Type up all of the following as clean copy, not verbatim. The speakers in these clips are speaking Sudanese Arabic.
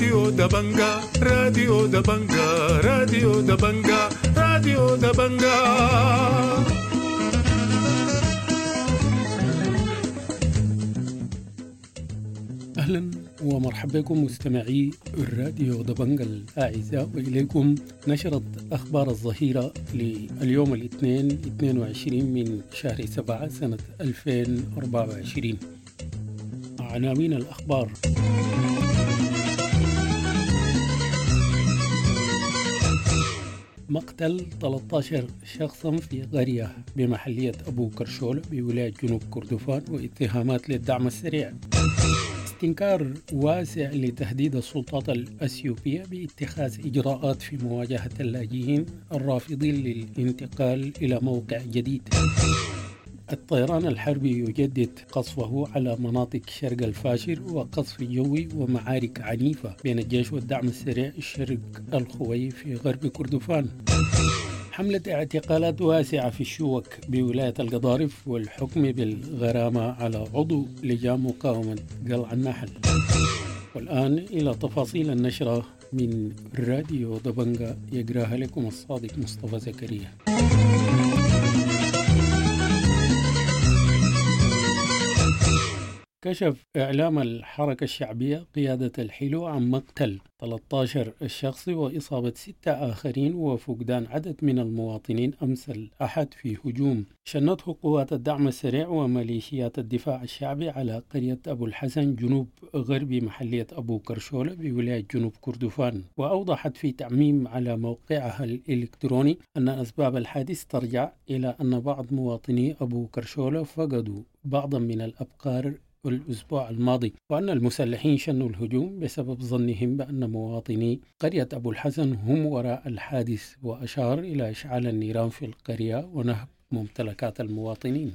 راديو دبنجا، راديو دبنجا، راديو دبنجا، راديو دبنجا. أهلا ومرحبا بكم مستمعي الراديو دبنجا الأعزاء، وإليكم نشرة أخبار الظهيرة لليوم الاثنين 22 من شهر 7 سنة 2024. عناوين الأخبار: مقتل 13 شخصا في قرية بمحلية أبو كرشول بولاية جنوب كردفان واتهامات للدعم السريع. استنكار واسع لتهديد السلطات الأثيوبية باتخاذ إجراءات في مواجهة اللاجئين الرافضين للانتقال إلى موقع جديد. الطيران الحربي يجدد قصفه على مناطق شرق الفاشر وقصف جوي ومعارك عنيفة بين الجيش والدعم السريع شرق الخوي في غرب كردفان. حملة اعتقالات واسعة في الشوك بولاية القضارف والحكم بالغرامة على عضو لجان مقاومة قلع النحل. والآن إلى تفاصيل النشرة من راديو دبنجا، يقراها لكم الصادق مصطفى زكريا. كشف إعلام الحركة الشعبية قيادة الحلو عن مقتل 13 شخص وإصابة 6 آخرين وفقدان عدد من المواطنين أمس الأحد في هجوم شنته قوات الدعم السريع وميليشيات الدفاع الشعبي على قرية أبو الحسن جنوب غربي محلية أبو كرشولة بولاية جنوب كردفان. وأوضحت في تعميم على موقعها الإلكتروني أن أسباب الحادث ترجع إلى أن بعض مواطني أبو كرشولة فقدوا بعضا من الأبقار الأسبوع الماضي، وأن المسلحين شنوا الهجوم بسبب ظنهم بأن مواطني قرية أبو الحسن هم وراء الحادث، وأشار إلى إشعال النيران في القرية ونهب ممتلكات المواطنين.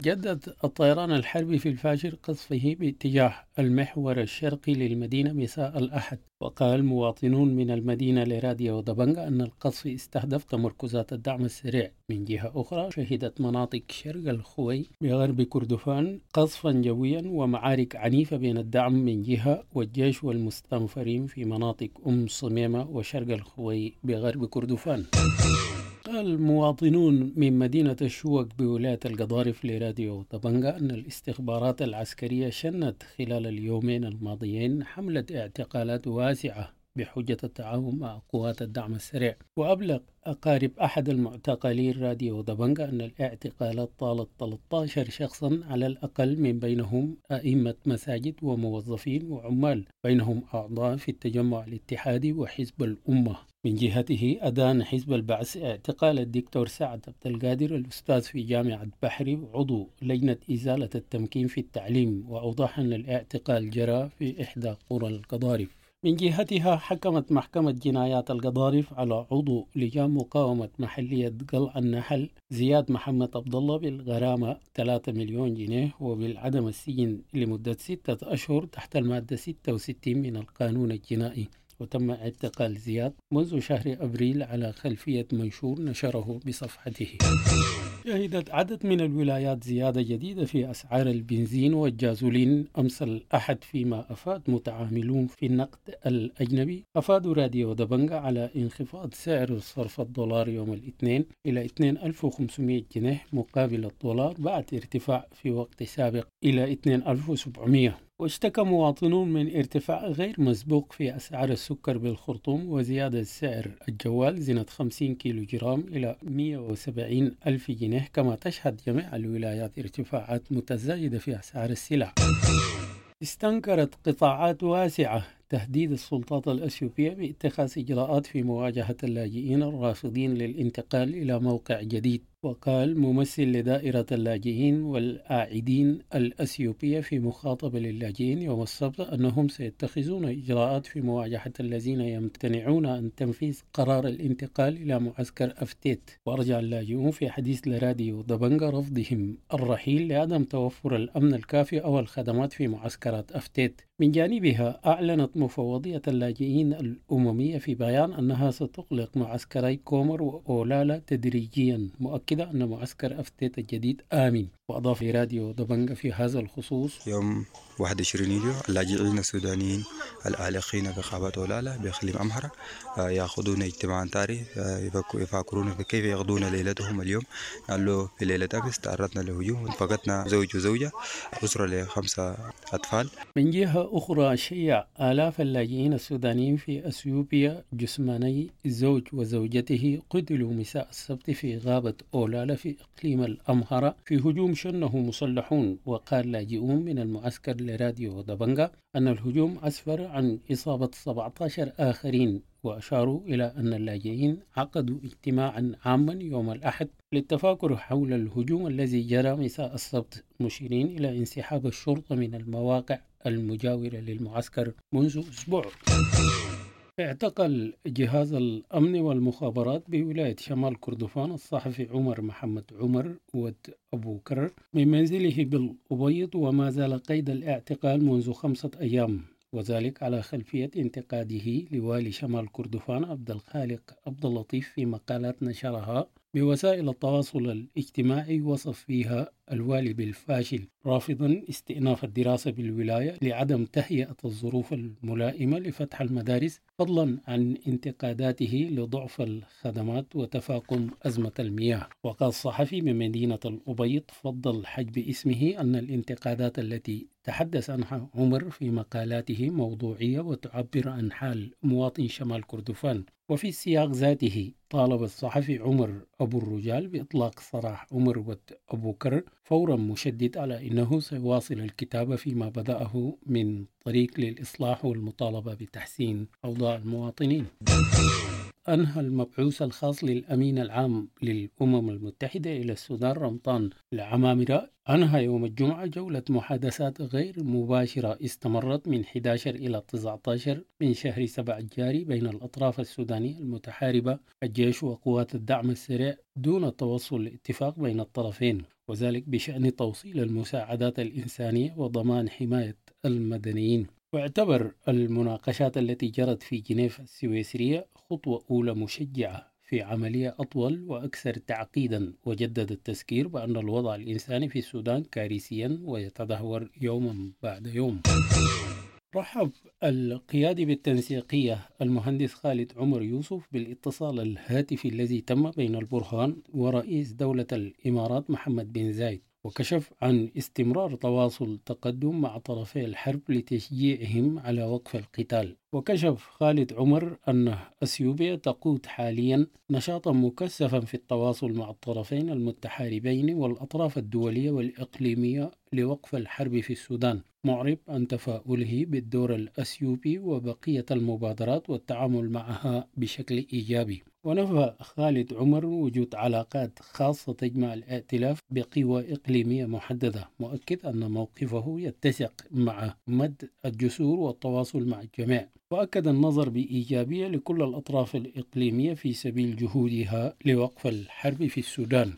جدد الطيران الحربي في الفاشر قصفه باتجاه المحور الشرقي للمدينة مساء الأحد، وقال مواطنون من المدينة لراديو دبنجا أن القصف استهدف تمركزات الدعم السريع. من جهة أخرى، شهدت مناطق شرق الخوي بغرب كردفان قصفا جويا ومعارك عنيفة بين الدعم من جهة والجيش والمستنفرين في مناطق أم صميمة وشرق الخوي بغرب كردفان. قال مواطنون من مدينة الشوك بولاية القضارف لراديو دبنجا أن الاستخبارات العسكرية شنت خلال اليومين الماضيين حملة اعتقالات واسعة بحجة التعاون مع قوات الدعم السريع. وأبلغ أقارب أحد المعتقلين راديو دبنجا أن الاعتقالات طالت 13 شخصا على الأقل، من بينهم أئمة مساجد وموظفين وعمال، بينهم أعضاء في التجمع الاتحادي وحزب الأمة. من جهته، أدان حزب البعث اعتقال الدكتور سعد عبد القادر الأستاذ في جامعة بحري وعضو لجنة إزالة التمكين في التعليم، وأوضح أن الاعتقال جرى في إحدى قرى القضارف. من جهتها، حكمت محكمة جنايات القضارف على عضو لجان مقاومة محلية قلع النحل زياد محمد عبد الله بالغرامة 3 مليون جنيه وبالعدم السجن لمدة 6 أشهر تحت المادة 66 من القانون الجنائي. وتم اعتقال زياد منذ شهر أبريل على خلفية منشور نشره بصفحته. شهدت عدد من الولايات زيادة جديدة في أسعار البنزين والجازولين أمس الأحد، فيما أفاد متعاملون في النقد الأجنبي أفادوا راديو دبنجا على انخفاض سعر صرف الدولار يوم الاثنين إلى 2500 جنيه مقابل الدولار بعد ارتفاع في وقت سابق إلى 2700. واشتكى مواطنون من ارتفاع غير مسبوق في أسعار السكر بالخرطوم وزيادة سعر الجوال زنة 50 كيلو جرام إلى 170 ألف جنيه، كما تشهد جميع الولايات ارتفاعات متزايدة في أسعار السلع. استنكرت قطاعات واسعة تهديد السلطات الأثيوبية باتخاذ إجراءات في مواجهة اللاجئين الرافضين للانتقال إلى موقع جديد. وقال ممثل لدائرة اللاجئين والآعدين الأثيوبية في مخاطبة للاجئين يوم السبت أنهم سيتخذون إجراءات في مواجهة الذين يمتنعون عن تنفيذ قرار الانتقال إلى معسكر أفتيت. وأرجع اللاجئون في حديث لراديو دبنجا رفضهم الرحيل لعدم توفر الأمن الكافي أو الخدمات في معسكرات أفتيت. من جانبها أعلنت مفوضية اللاجئين الأممية في بيان أنها ستغلق معسكري كومر وأولالا تدريجيا، مؤكدة أن معسكر أفتيت الجديد آمن. وأضاف راديو دبنجة في هذا الخصوص: يوم 21 يوليو اللاجئين السودانيين العالقين في غابات أولالا بإقليم أمهرة يأخذون اجتماعا طارئ يفكرون في كيف يقضون ليلتهم اليوم. قالوا في ليلة أمس تعرضنا لهجوم، فقدنا زوج وزوجة، أسرة ل5 أطفال. من جهة أخرى، شيع آلاف اللاجئين السودانيين في أثيوبيا جثماني زوج وزوجته قتلوا مساء السبت في غابة أولالا في إقليم الأمهرة في هجوم شنه مسلحون. وقال لاجئون من المعسكر لراديو دبنجة أن الهجوم أسفر عن إصابة 17 آخرين، وأشاروا إلى أن اللاجئين عقدوا اجتماعا عاما يوم الأحد للتفاكر حول الهجوم الذي جرى مساء السبت، مشيرين إلى انسحاب الشرطة من المواقع المجاورة للمعسكر منذ أسبوع. اعتقل جهاز الأمن والمخابرات بولاية شمال كردفان الصحفي عمر محمد عمر ود أبو كرر من منزله بالأبيض، وما زال قيد الاعتقال منذ 5 أيام، وذلك على خلفية انتقاده لوالي شمال كردفان عبد الخالق عبد اللطيف في مقالات نشرها بوسائل التواصل الاجتماعي وصف فيها الوالي بالفاشل، رافضا استئناف الدراسة بالولاية لعدم تهيئة الظروف الملائمة لفتح المدارس، فضلا عن انتقاداته لضعف الخدمات وتفاقم أزمة المياه. وقال الصحفي من مدينة الأبيض فضل حجب اسمه أن الانتقادات التي تحدث عنها عمر في مقالاته موضوعية وتعبر عن حال مواطن شمال كردفان. وفي السياق ذاته طالب الصحفي عمر أبو الرجال بإطلاق سراح عمر ود أبو كر فورا، مشدد على أنه سيواصل الكتابة فيما بدأه من طريق للإصلاح والمطالبة بتحسين أوضاع المواطنين. أنهى المبعوث الخاص للأمين العام للأمم المتحدة إلى السودان رمطان العمامرة أنهى يوم الجمعة جولة محادثات غير مباشرة استمرت من 11 إلى 19 من شهر 7 الجاري بين الأطراف السودانية المتحاربة الجيش وقوات الدعم السريع دون التوصل لاتفاق بين الطرفين، وذلك بشأن توصيل المساعدات الإنسانية وضمان حماية المدنيين. واعتبر المناقشات التي جرت في جنيف السويسرية خطوة أولى مشجعة في عملية أطول وأكثر تعقيدا، وجدد التذكير بأن الوضع الإنساني في السودان كارثيا ويتدهور يوما بعد يوم. رحب القيادي بالتنسيقية المهندس خالد عمر يوسف بالاتصال الهاتفي الذي تم بين البرهان ورئيس دولة الإمارات محمد بن زايد، وكشف عن استمرار تواصل تقدم مع طرفي الحرب لتشجيعهم على وقف القتال. وكشف خالد عمر أن أثيوبيا تقود حاليا نشاطا مكثفا في التواصل مع الطرفين المتحاربين والأطراف الدولية والإقليمية لوقف الحرب في السودان، معرب عن تفاؤله بالدور الأثيوبي وبقية المبادرات والتعامل معها بشكل إيجابي. ونفى خالد عمر وجود علاقات خاصة تجمع الائتلاف بقوى إقليمية محددة، مؤكد أن موقفه يتسق مع مد الجسور والتواصل مع الجميع، وأكد النظر بإيجابية لكل الأطراف الإقليمية في سبيل جهودها لوقف الحرب في السودان.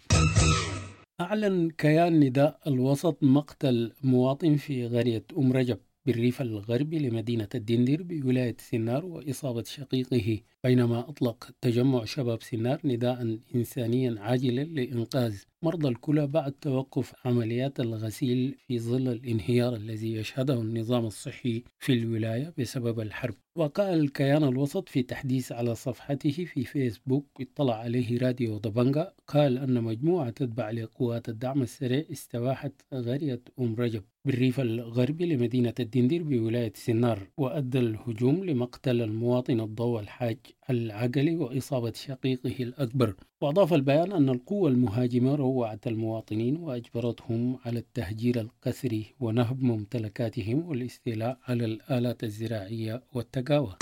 أعلن كيان نداء الوسط مقتل مواطن في قرية أم رجب بالريف الغربي لمدينة الدندر بولاية سنار وإصابة شقيقه، بينما أطلق تجمع شباب سنار نداء إنسانيا عاجلا لإنقاذ مرضى الكلى بعد توقف عمليات الغسيل في ظل الانهيار الذي يشهده النظام الصحي في الولاية بسبب الحرب. وقال كيان الوسط في تحديث على صفحته في فيسبوك اطلع عليه راديو دبنجة، قال أن مجموعة تتبع لقوات الدعم السريع استباحت قرية أم رجب بالريف الغربي لمدينة الدندر بولاية سنار، وأدى الهجوم لمقتل المواطن الضوء الحاج العقلي وإصابة شقيقه الأكبر. وأضاف البيان أن القوة المهاجمة روعت المواطنين وأجبرتهم على التهجير القسري ونهب ممتلكاتهم والاستيلاء على الآلات الزراعية والتقاوى.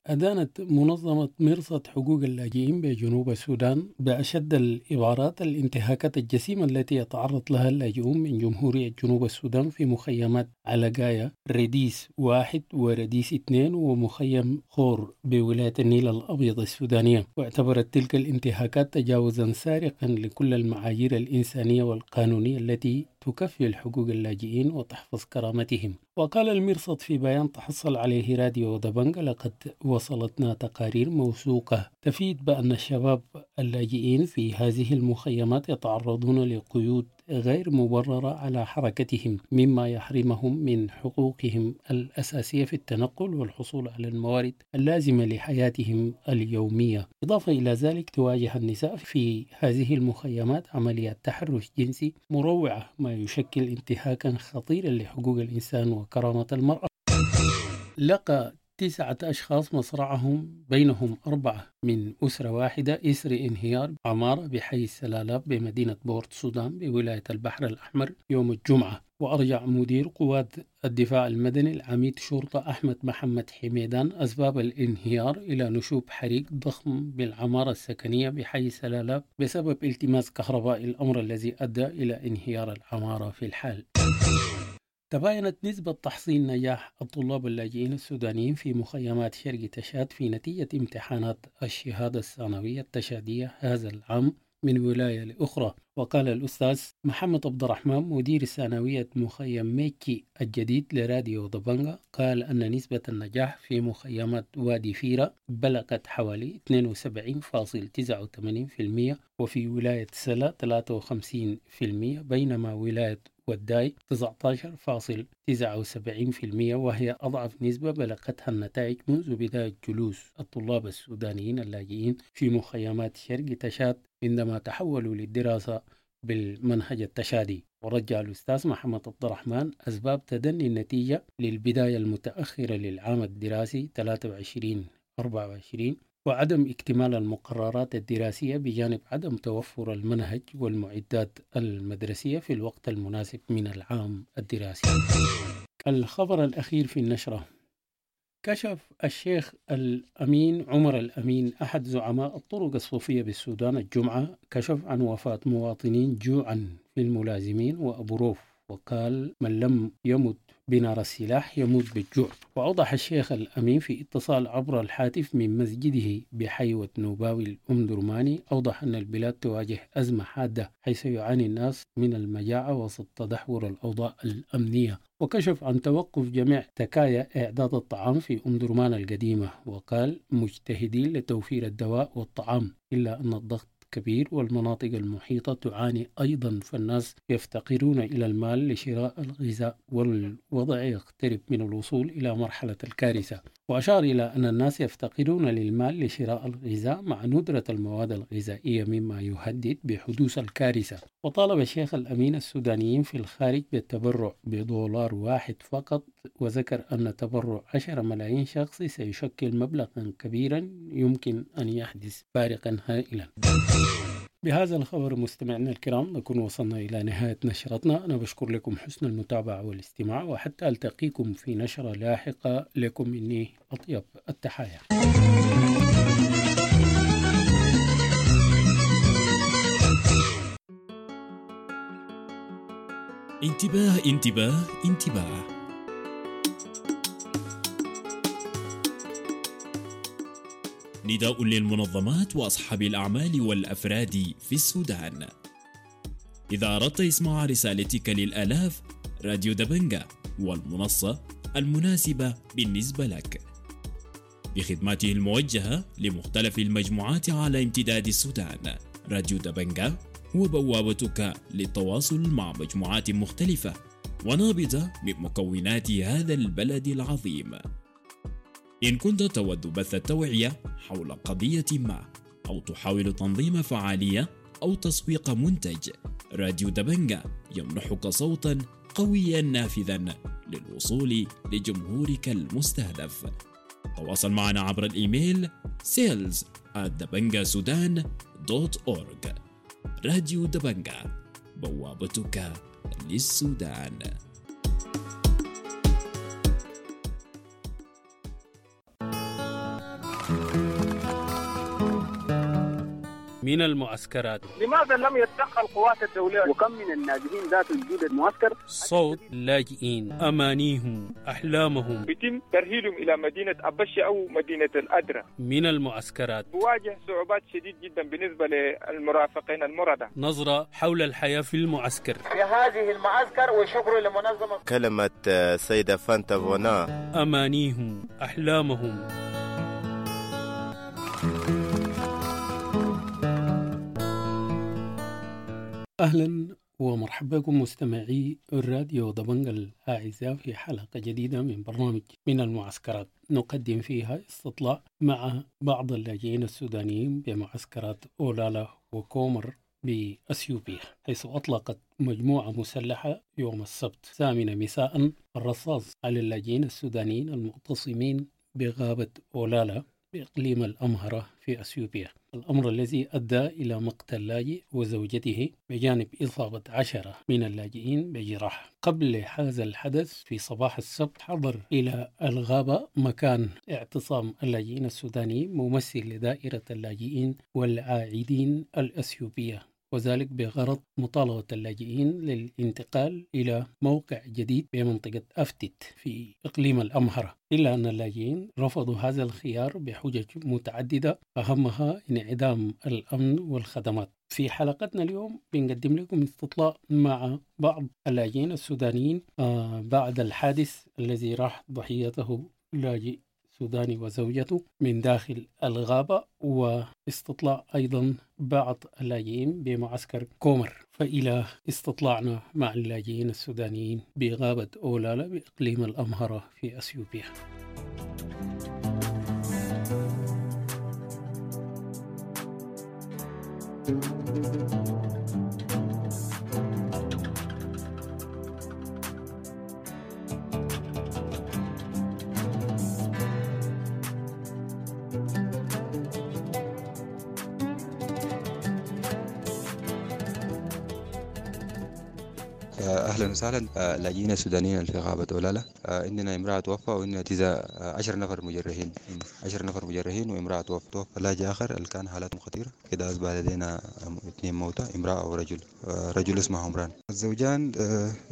أدانت منظمة مرصد حقوق اللاجئين بجنوب السودان بأشد العبارات الانتهاكات الجسيمة التي يتعرض لها اللاجئون من جمهورية جنوب السودان في مخيمات علقايا رديس 1 ورديس 2 ومخيم خور بولاية النيل الأبيض السودانية، واعتبرت تلك الانتهاكات تجاوزا سارقا لكل المعايير الإنسانية والقانونية التي تكفل حقوق اللاجئين وتحفظ كرامتهم. وقال المرصد في بيان تحصل عليه راديو دبنجة: لقد وصلتنا تقارير موثوقة تفيد بأن الشباب اللاجئين في هذه المخيمات يتعرضون لقيود غير مبررة على حركتهم، مما يحرمهم من حقوقهم الأساسية في التنقل والحصول على الموارد اللازمة لحياتهم اليومية. إضافة إلى ذلك تواجه النساء في هذه المخيمات عمليات تحرش جنسي مروعة، ما يشكل انتهاكا خطيرا لحقوق الإنسان وكرامة المرأة. لقى 9 أشخاص مصرعهم، بينهم 4 من أسرة واحدة، إثر انهيار عمارة بحي السلالاب بمدينة بورت سودان بولاية البحر الأحمر يوم الجمعة. وأرجع مدير قوات الدفاع المدني العميد شرطة أحمد محمد حميدان أسباب الانهيار إلى نشوب حريق ضخم بالعمارة السكنية بحي سلالاب بسبب التماس كهرباء، الأمر الذي أدى إلى انهيار العمارة في الحال. تباينت نسبة تحصيل نجاح الطلاب اللاجئين السودانيين في مخيمات شرق تشاد في نتيجة امتحانات الشهادة الثانوية التشادية هذا العام من ولاية لأخرى. وقال الأستاذ محمد عبد الرحمن مدير ثانوية مخيم ميكي الجديد لراديو دبنجا، قال أن نسبة النجاح في مخيمات وادي فيرا بلغت حوالي 72.89%، وفي ولاية سلا 53%، بينما ولاية وداي 19.79%، وهي أضعف نسبة بلغتها النتائج منذ بداية جلوس الطلاب السودانيين اللاجئين في مخيمات شرق تشاد عندما تحولوا للدراسة بالمنهج التشادي. ورجع الأستاذ محمد عبد الرحمن أسباب تدني النتيجة للبداية المتأخرة للعام الدراسي 23-24 وعدم اكتمال المقررات الدراسية، بجانب عدم توفر المنهج والمعدات المدرسية في الوقت المناسب من العام الدراسي. الخبر الأخير في النشرة: كشف الشيخ الأمين عمر الأمين أحد زعماء الطرق الصوفية بالسودان الجمعة كشف عن وفاة مواطنين جوعا في الملازمين وأبو روف، وقال من لم يمت بنار السلاح يموت بالجوع. وأوضح الشيخ الأمين في اتصال عبر الهاتف من مسجده بحيوة نوباوي الأمدرماني، أوضح أن البلاد تواجه أزمة حادة حيث يعاني الناس من المجاعة وسط تدهور الأوضاع الأمنية. وكشف عن توقف جميع تكايا إعداد الطعام في أمدرمان القديمة، وقال مجتهدين لتوفير الدواء والطعام، إلا أن الضغط كبير والمناطق المحيطة تعاني أيضا، فالناس يفتقرون إلى المال لشراء الغذاء والوضع يقترب من الوصول إلى مرحلة الكارثة. وأشار إلى أن الناس يفتقرون للمال لشراء الغذاء مع ندرة المواد الغذائية مما يهدد بحدوث الكارثة. وطالب الشيخ الأمين السودانيين في الخارج بالتبرع $1 فقط، وذكر أن تبرع 10 ملايين شخص سيشكل مبلغا كبيرا يمكن أن يحدث فارقا هائلا. بهذا الخبر مستمعينا الكرام نكون وصلنا إلى نهاية نشرتنا. أنا بشكر لكم حسن المتابعة والاستماع، وحتى ألتقيكم في نشرة لاحقة، لكم مني أطيب التحايا. انتباه انتباه انتباه. نداء للمنظمات وأصحاب الأعمال والأفراد في السودان. إذا أردت إسماع رسالتك للآلاف، راديو دبنجا والمنصة المناسبة بالنسبة لك بخدماته الموجهة لمختلف المجموعات على امتداد السودان. راديو دبنجا هو بوابتك للتواصل مع مجموعات مختلفة ونابضة من مكونات هذا البلد العظيم. إن كنت تود بث التوعية حول قضية ما، أو تحاول تنظيم فعالية أو تسويق منتج، راديو دبنجا يمنحك صوتا قويا نافذا للوصول لجمهورك المستهدف. تواصل معنا عبر الإيميل sales@dabangasudan.org. راديو دبنجا، بوابتك للسودان. من المعسكرات، لماذا لم يتدخل القوات الدولية؟ وكم من النازحين ذات وجود المعسكر؟ صوت لاجئين، أمانيهم، أحلامهم، يتم ترحيلهم إلى مدينة أبشي أو مدينة الأدرة. من المعسكرات تواجه صعوبات شديد جدا بالنسبة للمرافقين المرضى. نظرة حول الحياة في المعسكر، في هذه المعسكر، وشكر لمنظمة. كلمة سيدة فانتا فونا. أمانيهم، أحلامهم. أهلا ومرحبا بكم مستمعي الراديو دبنجا الأعزاء في حلقة جديدة من برنامج من المعسكرات، نقدم فيها استطلاع مع بعض اللاجئين السودانيين بمعسكرات أولالا وكومر بأثيوبيا، حيث أطلقت مجموعة مسلحة يوم السبت 8 مساء الرصاص على اللاجئين السودانيين المعتصمين بغابة أولالا بإقليم الأمهرة في أثيوبيا، الأمر الذي أدى إلى مقتل لاجئ وزوجته بجانب إصابة 10 من اللاجئين بجراح. قبل هذا الحدث في صباح السبت حضر إلى الغابة مكان اعتصام اللاجئين السودانيين ممثل لدائرة اللاجئين والعائدين الأثيوبية، وذلك بغرض مطالبة اللاجئين للانتقال إلى موقع جديد بمنطقة أفتت في إقليم الأمهرة، إلا أن اللاجئين رفضوا هذا الخيار بحجج متعددة أهمها انعدام الأمن والخدمات. في حلقتنا اليوم بنقدم لكم استطلاع مع بعض اللاجئين السودانيين بعد الحادث الذي راح ضحيته لاجئ سوداني وزوجته من داخل الغابة، واستطلاع أيضا بعض اللاجئين بمعسكر كومر. فإلى استطلاعنا مع اللاجئين السودانيين بغابة أولالا بإقليم الأمهرة في أثيوبيا. اهلا وسهلا. لاجئين السودانيين في غابه اولالا، عندنا امراه توفى وعندنا 19 نفر مجرحين، 10 نفر مجرحين وامراه توفى. توفى لاجئ اخر اللي كان حالتهم خطيره كده، اصبح لدينا 2 موتى، امراه ورجل، رجل اسمه عمران. الزوجان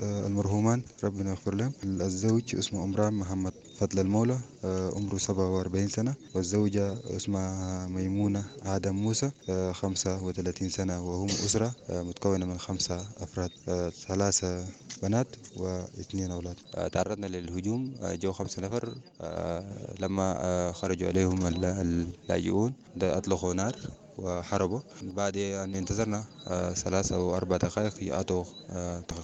المرحومان ربنا يغفر لهم، الزوج اسمه عمران محمد فضل المولى عمره 47 سنه، والزوجه اسمها ميمونه آدم موسى 35 سنه، وهم اسره متكونه من 5 افراد، 3 بنات و2 أولاد. تعرضنا للهجوم، جو 5 نفر، لما خرجوا عليهم اللاجئون أطلقوا نار وحربوا. بعد أن انتظرنا 3 أو 4 دقائق أتوا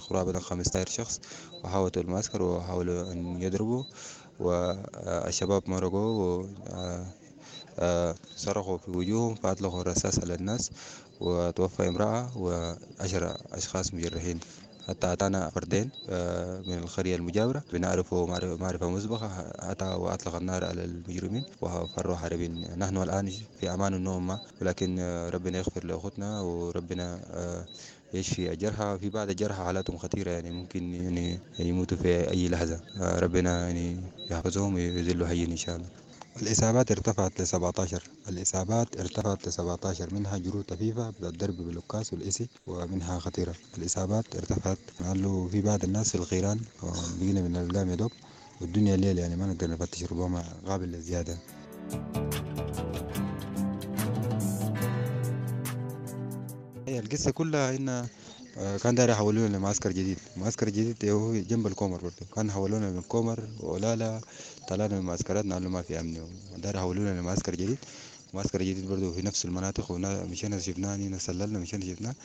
قرابة 15 شخص وحاولوا المعسكر وحاولوا أن يضربوا، والشباب مرقوا وصرخوا في وجوههم فأطلقوا الرصاص على الناس، وتوفى امرأة و10 أشخاص مجرحين. حتى أتانا فردين من القرية المجاورة بنعرفه معرفة مسبقة، أتى وأطلق النار على المجرمين وفروا هاربين. نحن الآن في أمان النوم، ولكن ربنا يغفر لأخوتنا وربنا يشفي الجرحى. في بعض الجرحى حالاتهم خطيرة، يعني ممكن يعني يموتوا في أي لحظة، ربنا يعني يحفظهم ويذلوا حيين إن شاء الله. الإصابات ارتفعت ل 17، الإصابات ارتفعت ل 17، منها جروح طفيفة بالضرب بالعكاز والإسي، ومنها خطيرة. الإصابات ارتفعت لأنه في بعض الناس في الغيران بقينا من القام يدوب والدنيا الليل، يعني ما نقدر نفتش، ربما قابل للزيادة. هي القصة كلها إن كان داير يحولونا لمعسكر جديد، معسكر جديد هو جنب الكومر برضه، كان حولونا من كومر وأولالا، طلعنا من معسكراتنا قالوا ما في أمن، داير يحولونا لمعسكر جديد، معسكر جديد برضه في نفس المناطق، ومشينا شفناه نسللنا، مشينا شفناه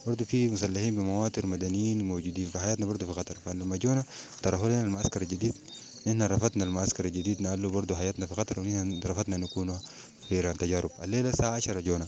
برضه في مسلحين بمواتر مدنيين موجودين، فحياتنا برضه في خطر. فلما جونا طرحوا لنا المعسكر الجديد، نحن رفضنا المعسكر الجديد، قالوا برضه حياتنا في خطر، ونحن رفضنا نكون في تجارب. الليلة الساعة 10 جونا،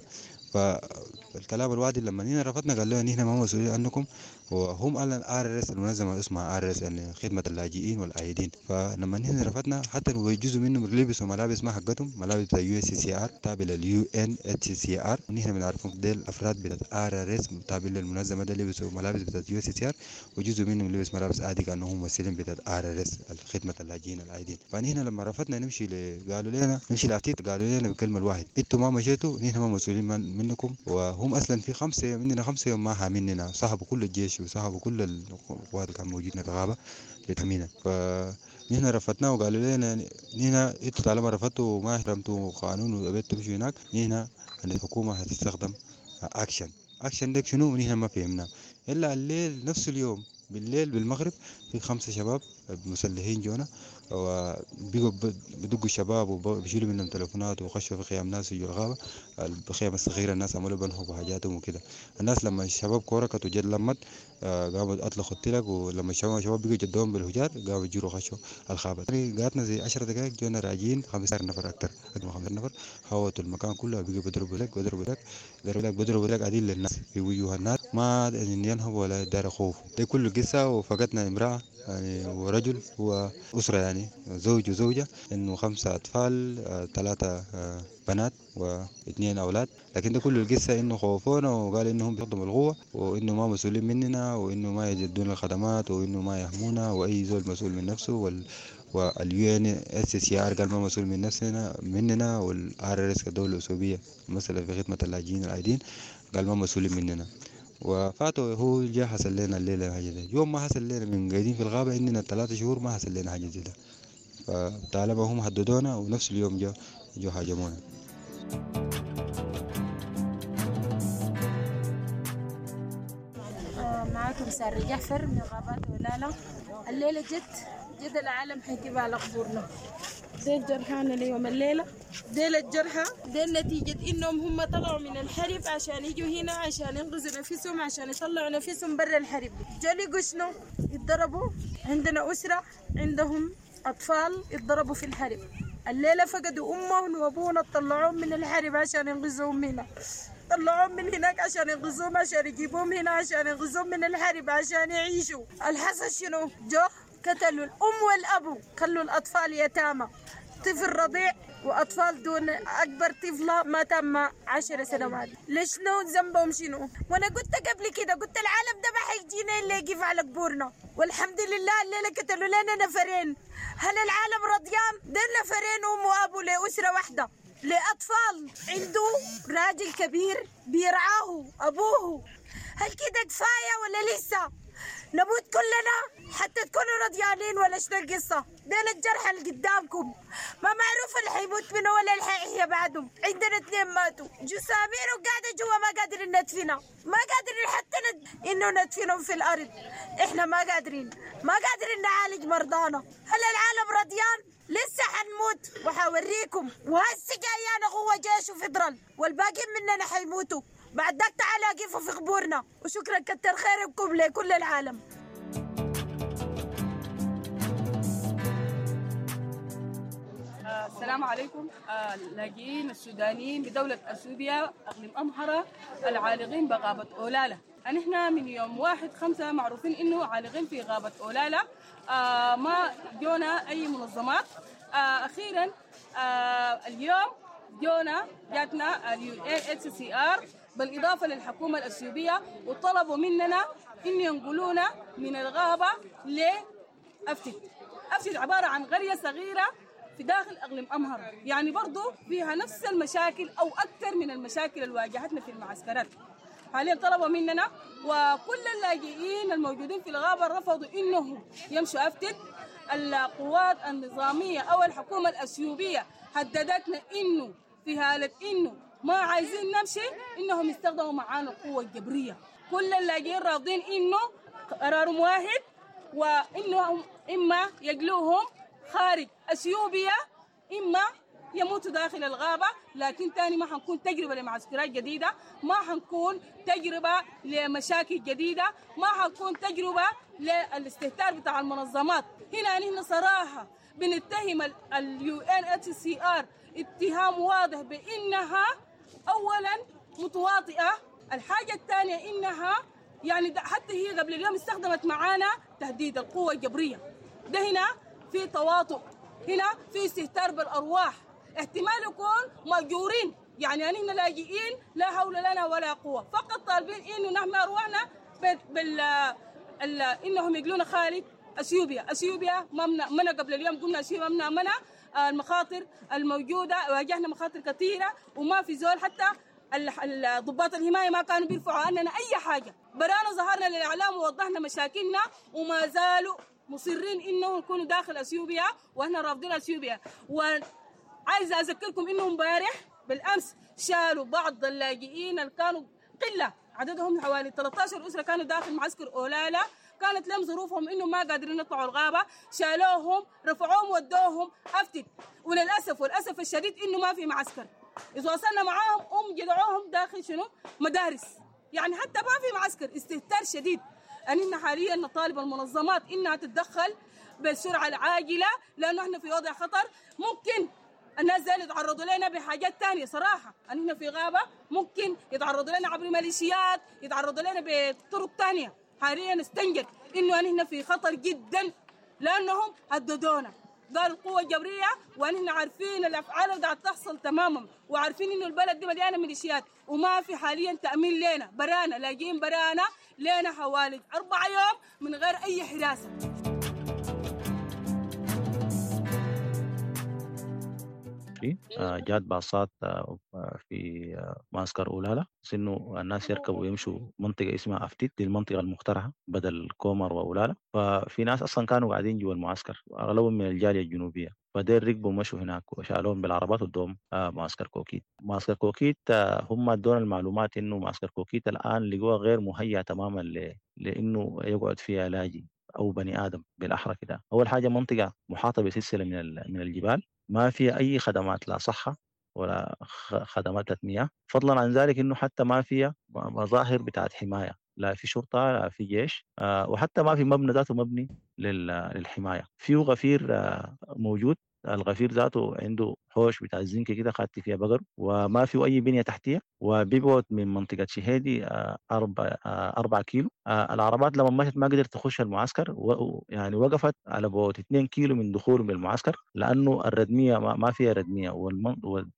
فالكلام الوادي لما نحن رفضنا قال لنا نحن ما مسؤولين عنكم، وهم اعلن RRS المنظمه اسمها RRS يعني خدمه اللاجئين والعائدين. فلما نحن رفضنا حتى جزء منهم لبسوا ملابس ما حقتهم، ملابس بتاع USCR تابع لل UNHCR، ونحن بنعرفهم ديل افراد بتاع RRS تابع للمنظمه ده، لبسوا ملابس بتاع USCR، وجزء منهم لبس ملابس عادي كانهم ممثلين بتاع RRS خدمه اللاجئين العائدين. فنحن لما رفضنا نمشي قالوا لنا نمشي لافتيت، قالوا لنا بالكلمه الواحد انتوا ما مشيتوا نحن ما مسؤولين منكم. وهم اصلا في 5 مننا 5 يوم ما حاميننا، سحبوا كل الجيش وسحبوا كل القوات اللي كان موجودين في الغابه لتحمينا. فنحن رفضناه وقالوا لنا نحن انتوا طالما رفضتوا وما احترمتوا قانون وابيتوا تمشوا هناك، نحن الحكومه هتستخدم action. action ده شنو؟ نحن ما فهمنا الا الليل نفس اليوم بالليل بالمغرب في 5 شباب مسلحين جونا وبيقوا بدقوا الشباب وبيشيلوا منهم تليفونات وخشوا في خيام ناس في الغابة، الخيام الصغيرة الناس عملوا بنهبوا حاجاتهم وكده. الناس لما الشباب كوركت وجد لمت قاموا اطلقوا التلق، ولما الشباب بقوا جدهم بالهجار قاموا يجروا خشوا الغابة. قعدنا زي 10 دقائق جونا راجعين 15 نفر، اكثر من 15 نفر، حوطوا المكان كله، بقوا بيضربوا لك بيضربوا لك بيضربوا لك عديل للناس في وجوه الناس، ما ينهبوا ولا دار خوف. دي كل قصة. وفقدنا امرأة يعني ورجل وأسرة، يعني زوج وزوجة، إنه 5 أطفال، 3 بنات و2 أولاد. لكن ده كل القصة إنه خوفونا وقال إنهم بيخدموا القوة وإنه ما مسؤولين مننا وإنه ما يجدون الخدمات وإنه ما يهمونا وأي زول مسؤول من نفسه، وال UNHCR قال ما مسؤول من نفسنا مننا، وال RRS كدولة أثيوبية مثلا في خدمة اللاجئين العايدين قال ما مسؤولين مننا. وفاتوا هو جاء حصل لنا الليلة حاجة زي يوم ما حصل لنا من قاعدين في الغابة عندنا 3 شهور ما حصل لنا حاجة زي ده. فطالما هم هددونا ونفس اليوم جو هاجمونا. معاكم سارة جعفر من غابات ولالا. الليلة جد العالم حيجيب على قبورنا. ديل جرحانا اليوم الليلة، ديل الجرحى، ديل نتيجة إنهم هم طلعوا من الحرب عشان يجوا هنا عشان ينقذوا نفسهم، عشان يطلعوا نفسهم برا الحرب. جالي شنو؟ اتضربوا. عندنا أسرة عندهم أطفال اتضربوا في الحرب. الليلة فقدوا أمهم وأبونا، طلعوهم من الحرب عشان ينقذوهم هنا، طلعوهم من هناك عشان ينقذوهم، عشان يجيبوهم هنا عشان ينقذوهم من الحرب عشان يعيشوا. الحصل شنو؟ جو قتلوا الأم والأبو، خلوا الأطفال يتامى، طفل رضيع وأطفال دون أكبر طفلة ما تم 10 سنوات. ليش شنو ذنبهم شنو؟ وأنا قلت قبل كده، قلت العالم ده ما حيجينا إلا يقف على قبورنا، والحمد لله الليلة قتلوا لنا نفرين. هل العالم رضيان؟ ده نفرين أم وأبو لأسرة واحدة، لأطفال عنده راجل كبير بيرعاه أبوه. هل كده كفاية ولا لسه؟ نموت كلنا حتى تكونوا رضيانين ولا شنو القصة؟ دين الجرح اللي قدامكم ما معروف اللي حيموت منه ولا اللي حيحيى بعدهم. عندنا 2 ماتوا جسامين وقاعدة جوا ما قادرين ندفنها، ما قادرين حتى انه ندفنهم في الارض. احنا ما قادرين، ما قادرين نعالج مرضانا. هل العالم رضيان؟ لسه حنموت وحوريكم. وهسه جايانا قوة جيش وفدرال والباقيين مننا حيموتوا بعد ذاك. تعالوا قفوا في قبورنا. وشكرا، كتر خيركم لكل العالم. السلام عليكم. اللاجئين السودانيين بدولة أثيوبيا أقليم أمهرة العالقين بغابة أولالا. نحن من يوم 1/5 معروفين إنه عالقين في غابة أولالا. ما جونا أي منظمات. أخيرا اليوم جونا جاتنا UNHCR بالإضافة للحكومة الأثيوبية، وطلبوا مننا إن ينقلونا من الغابة لأفتت. أفتت عبارة عن قرية صغيرة في داخل أقليم أمهرة، يعني برضو فيها نفس المشاكل أو أكثر من المشاكل اللي واجهتنا في المعسكرات. حاليا طلبوا مننا، وكل اللاجئين الموجودين في الغابة رفضوا إنهم يمشوا أفتت. القوات النظامية أو الحكومة الأثيوبية هددتنا إنه في حالة إنه ما عايزين نمشي إنهم يستخدموا معانا القوة الجبرية. كل اللاجئين راضين إنه قرارهم واحد، وإنهم إما يجلوهم خارج أثيوبيا إما يموتوا داخل الغابة. لكن تاني ما حنكون تجربة لمعسكرات جديدة، ما حنكون تجربة لمشاكل جديدة، ما حنكون تجربة للاستهتار بتاع المنظمات. هنا نحن صراحة بنتهم UNHCR اتهام واضح بإنها أولا متواطئة، الحاجة الثانية إنها يعني حتى هي قبل اليوم استخدمت معانا تهديد القوة الجبرية. ده هنا في تواطؤ، هنا في استهتار بالأرواح، احتمال يكون مأجورين. يعني نحن لاجئين لا حول لنا ولا قوة، فقط طالبين إنه نحمي أرواحنا إنهم يقلون خارج أثيوبيا. أثيوبيا ما قبل اليوم قلنا أثيوبيا ممنع المخاطر الموجودة، واجهنا مخاطر كثيرة وما في زول، حتى ضباط الحماية ما كانوا بيرفعوا عننا أي حاجة. برانا ظهرنا للإعلام ووضحنا مشاكلنا وما زالوا مصرين إنه يكونوا داخل أثيوبيا، وإحنا رافضين أثيوبيا. وعايزة أذكركم إنه امبارح بالأمس شالوا بعض اللاجئين اللي كانوا قلة عددهم حوالي 13 أسرة كانوا داخل معسكر أولالا، كانت لهم ظروفهم انه ما قادرين يطلعوا الغابة، شالوهم رفعوهم ودوهم افتت. وللاسف والاسف الشديد انه ما في معسكر. اذا وصلنا معاهم جدعوهم داخل شنو مدارس، يعني حتى ما في معسكر، استهتار شديد. أننا حاليا نطالب المنظمات انها تتدخل بالسرعة العاجلة، لانه احنا في وضع خطر. ممكن الناس زي يتعرضوا لنا بحاجات تانية صراحة، أننا في غابة ممكن يتعرضوا لنا عبر ميليشيات، يتعرضوا لنا بطرق تانية. حاليا نستنجد إنه أننا في خطر جدا، لأنهم هددونا، قالوا القوة الجبرية، وأننا عارفين الأفعال اللي قاعد تحصل تماما، وعارفين إنه البلد دي مليانة ميليشيات، وما في حاليا تأمين لنا، برانا لاجئين برانا لنا حوالي 4 يوم من غير أي حراسة. جات باصات في معسكر أولالا، بس إنه الناس يركبوا ويمشوا منطقة اسمها أفتيت، دي المنطقة المقترحة بدل كومر وأولالا. ففي ناس أصلا كانوا قاعدين جوا المعسكر، أغلبهم من الجالية الجنوبية، فدير ركبوا مشوا هناك وشالوهم بالعربات ودوهم معسكر كوكيت. معسكر كوكيت هم ادونا المعلومات إنه معسكر كوكيت الآن لقوها غير مهيأ تماما لإنه يقعد فيها لاجئ أو بني آدم بالأحرى كده. أول حاجة منطقة محاطة بسلسلة من الجبال، ما فيها أي خدمات، لا صحة ولا خدمات مياه، فضلا عن ذلك إنه حتى ما فيها مظاهر بتاعت حماية، لا في شرطة لا في جيش، وحتى ما في مبنى ذاته مبني للحماية. فيه غفير موجود، الغفير ذاته عنده حوش بتاع الزنك كده خدت فيها بقر، وما فيه أي بنية تحتية، وبيبعد من منطقة شهيدي 4 كيلو. العربات لما مشت ما قدرت تخش المعسكر، يعني وقفت على بعد 2 كيلو من دخولهم للمعسكر، لأنه الردمية ما فيها ردمية،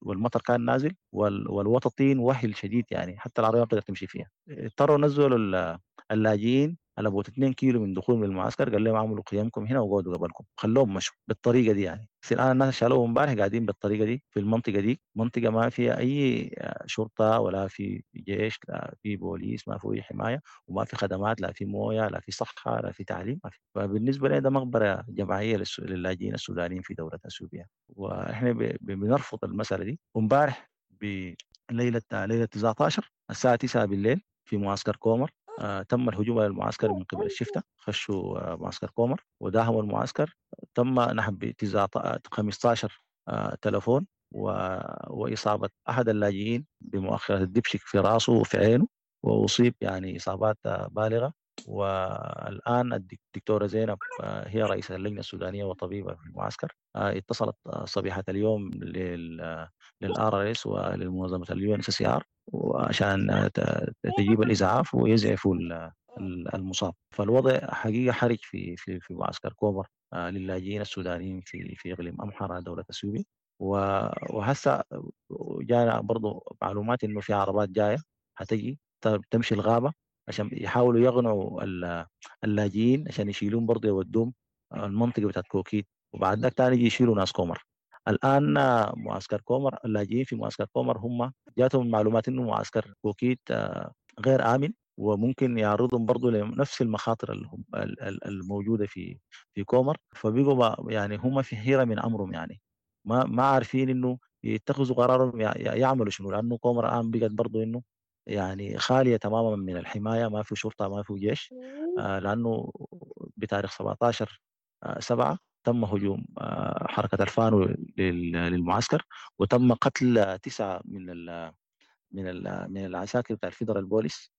والمطر كان نازل، والوططين وهل شديد، يعني حتى العربية ما بتقدر تمشي فيها. اضطروا نزلوا اللاجئين على بعد 2 كيلو من دخولهم للمعسكر، قال لهم اعملوا قيامكم هنا وقعدوا قبلكم، خلوهم مشوا بالطريقة دي. يعني بس الان الناس شالوهم امبارح قاعدين بالطريقة دي في المنطقة دي، منطقة ما فيها اي شرطه ولا في جيش لا في بوليس، ما في اي حماية، وما في خدمات، لا في مويه لا في صحة لا في تعليم، ما في. فبالنسبه لنا ده مقبره جماعية للاجئين السودانيين في دولة اثيوبيا، واحنا بنرفض المسالة دي. وامبارح بليلة 19 الساعة 9 بالليل في معسكر كومر، تم الهجوم على المعسكر من قبل الشفتة، خشوا معسكر كومر وداهموا المعسكر. تم نحب 15 تلفون وإصابة أحد اللاجئين بمؤخرة الدبشك في رأسه وفي عينه، وأصيب يعني إصابات بالغة. والآن الدكتورة زينب هي رئيسة اللجنة السودانية وطبيبة في المعسكر، اتصلت صبيحة اليوم لل RRS وللمنظمة ال UNHCR وعشان تجيب الإسعاف ويزعفوا المصاب. فالوضع حقيقة حرج في في في معسكر كومر للاجئين السودانيين في إقليم أمحرة دولة اثيوبيا. وهسه جانا برضو معلومات إنه في عربات جاية هتجي تمشي الغابة عشان يحاولوا يغنوا اللاجئين عشان يشيلون برضه يودوهم المنطقة بتاعت كوكيت، وبعد ذاك تاني يجي يشيلوا ناس كومر. الآن معسكر كومر، اللاجئين في معسكر كومر هم جاتهم معلومات إنه معسكر كوكيت غير آمن، وممكن يعرضهم برضه لنفس المخاطر الموجودة في كومر. فبيقوا يعني هم في حيرة من أمرهم، يعني ما عارفين إنه يتخذوا قرارهم يعملوا شنو، لأنه كومر الآن بقت برضه إنه يعني خالية تماما من الحماية، ما في شرطة ما في جيش، لأنه بتاريخ 17/7 تم هجوم حركة الفانو للمعسكر، وتم قتل 9 من العساكر بتاع ال federal police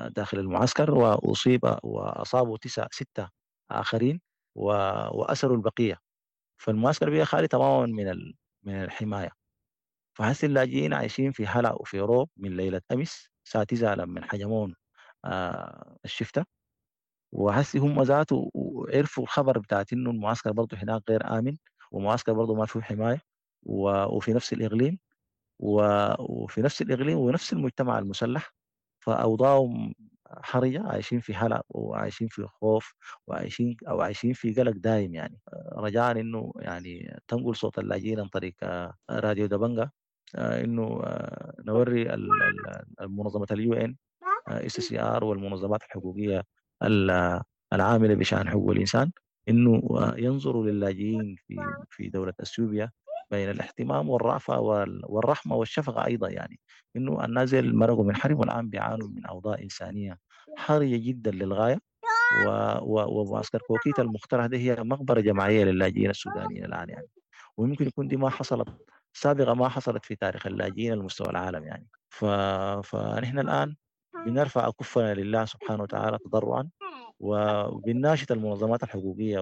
داخل المعسكر، وأصيب وأصابوا 6 آخرين وأسروا البقية. فالمعسكر بقى خالي تماما من الحماية. فحس اللاجئين عايشين في هلع وفي روب من ليلة أمس الساعة 9 لما حجمون الشفتة. وحسي هم ذاته عرفوا الخبر بتاعت إنه المعسكر برضه هناك غير آمن، ومعسكر برضه ما فيه حماية، وفي نفس الإقليم وفي نفس الإقليم ونفس المجتمع المسلح. فأوضاعهم حرجة، عايشين في هلع وعايشين في خوف وعايشين في قلق دائم. يعني رجاء إنه يعني تنقل صوت اللاجئين عن طريق راديو دبنجا، إنه نوري المنظمة ال UNHCR والمنظمات الحقوقية العاملة بشأن حقوق الإنسان إنه ينظروا للاجئين في دولة أثيوبيا بين الاهتمام والرأفة والرحمة والشفقة أيضا. يعني إنه الناس اللي مرقوا من حرب والآن بيعانوا من أوضاع إنسانية حرجة جدا للغاية، ومعسكر كوكيتا المقترح ده هي مقبرة جماعية للاجئين السودانيين الآن يعني، ويمكن يكون دي ما حصلت سابقة، ما حصلت في تاريخ اللاجئين على مستوى العالم يعني. فنحن الآن بنرفع أكفنا لله سبحانه وتعالى تضرعا، وبنناشد المنظمات الحقوقية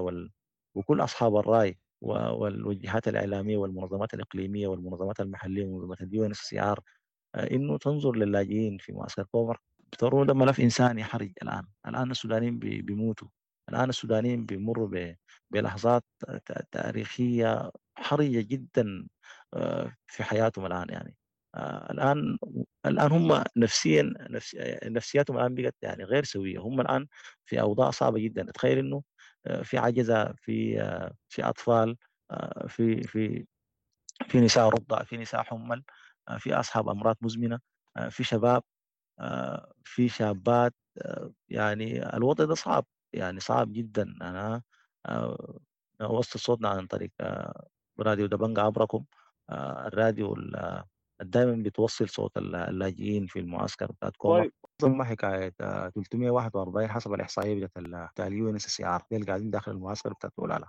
وكل أصحاب الرأي والجهات الإعلامية والمنظمات الإقليمية والمنظمات المحلية ومنظمات ال UNHCR إنه تنظر للاجئين في معسكر كومر. بترون ده ملف إنساني حرج الآن. الآن السودانيين بيموتوا، الآن السودانيين بيمروا بلحظات تاريخية حرجة جدا في حياتهم الآن يعني. الآن هم نفسيا نفسياتهم الآن بقت يعني غير سوية، هم الآن في أوضاع صعبة جدا. تخيل إنه في عجزة، في أطفال، في في في نساء رضع، في نساء حمل، في أصحاب أمراض مزمنة، في شباب، في شابات. يعني الوضع ده صعب، يعني صعب جدا. أنا أوصل صوتنا عن طريق راديو دبنجة عبركم، الراديو دائما بتوصل صوت اللاجئين في المعسكر بتاعت كومر. ثم حكاية 341 حسب الاحصائية بتاعت ال UNHCR اللي قاعدين داخل المعسكر بتاعت اولالا.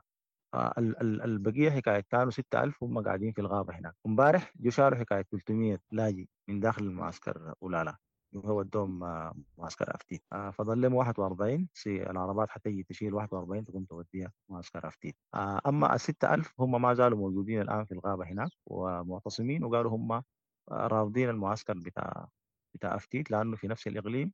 البقية حكاية كانوا 6000 هم قاعدين في الغابة هناك. امبارح جو شالوا حكاية 300 لاجئ من داخل المعسكر اولالا، وهو ودوهم معسكر افتيت. فضل لهم 41 سي العربات حتيجي تشيل 41 تقوم توديها معسكر افتيت. اما ال 6000 هم ما زالوا موجودين الان في الغابة هناك ومعتصمين، وقالوا هم رافضين المعسكر بتاع افتيت لانه في نفس الاقليم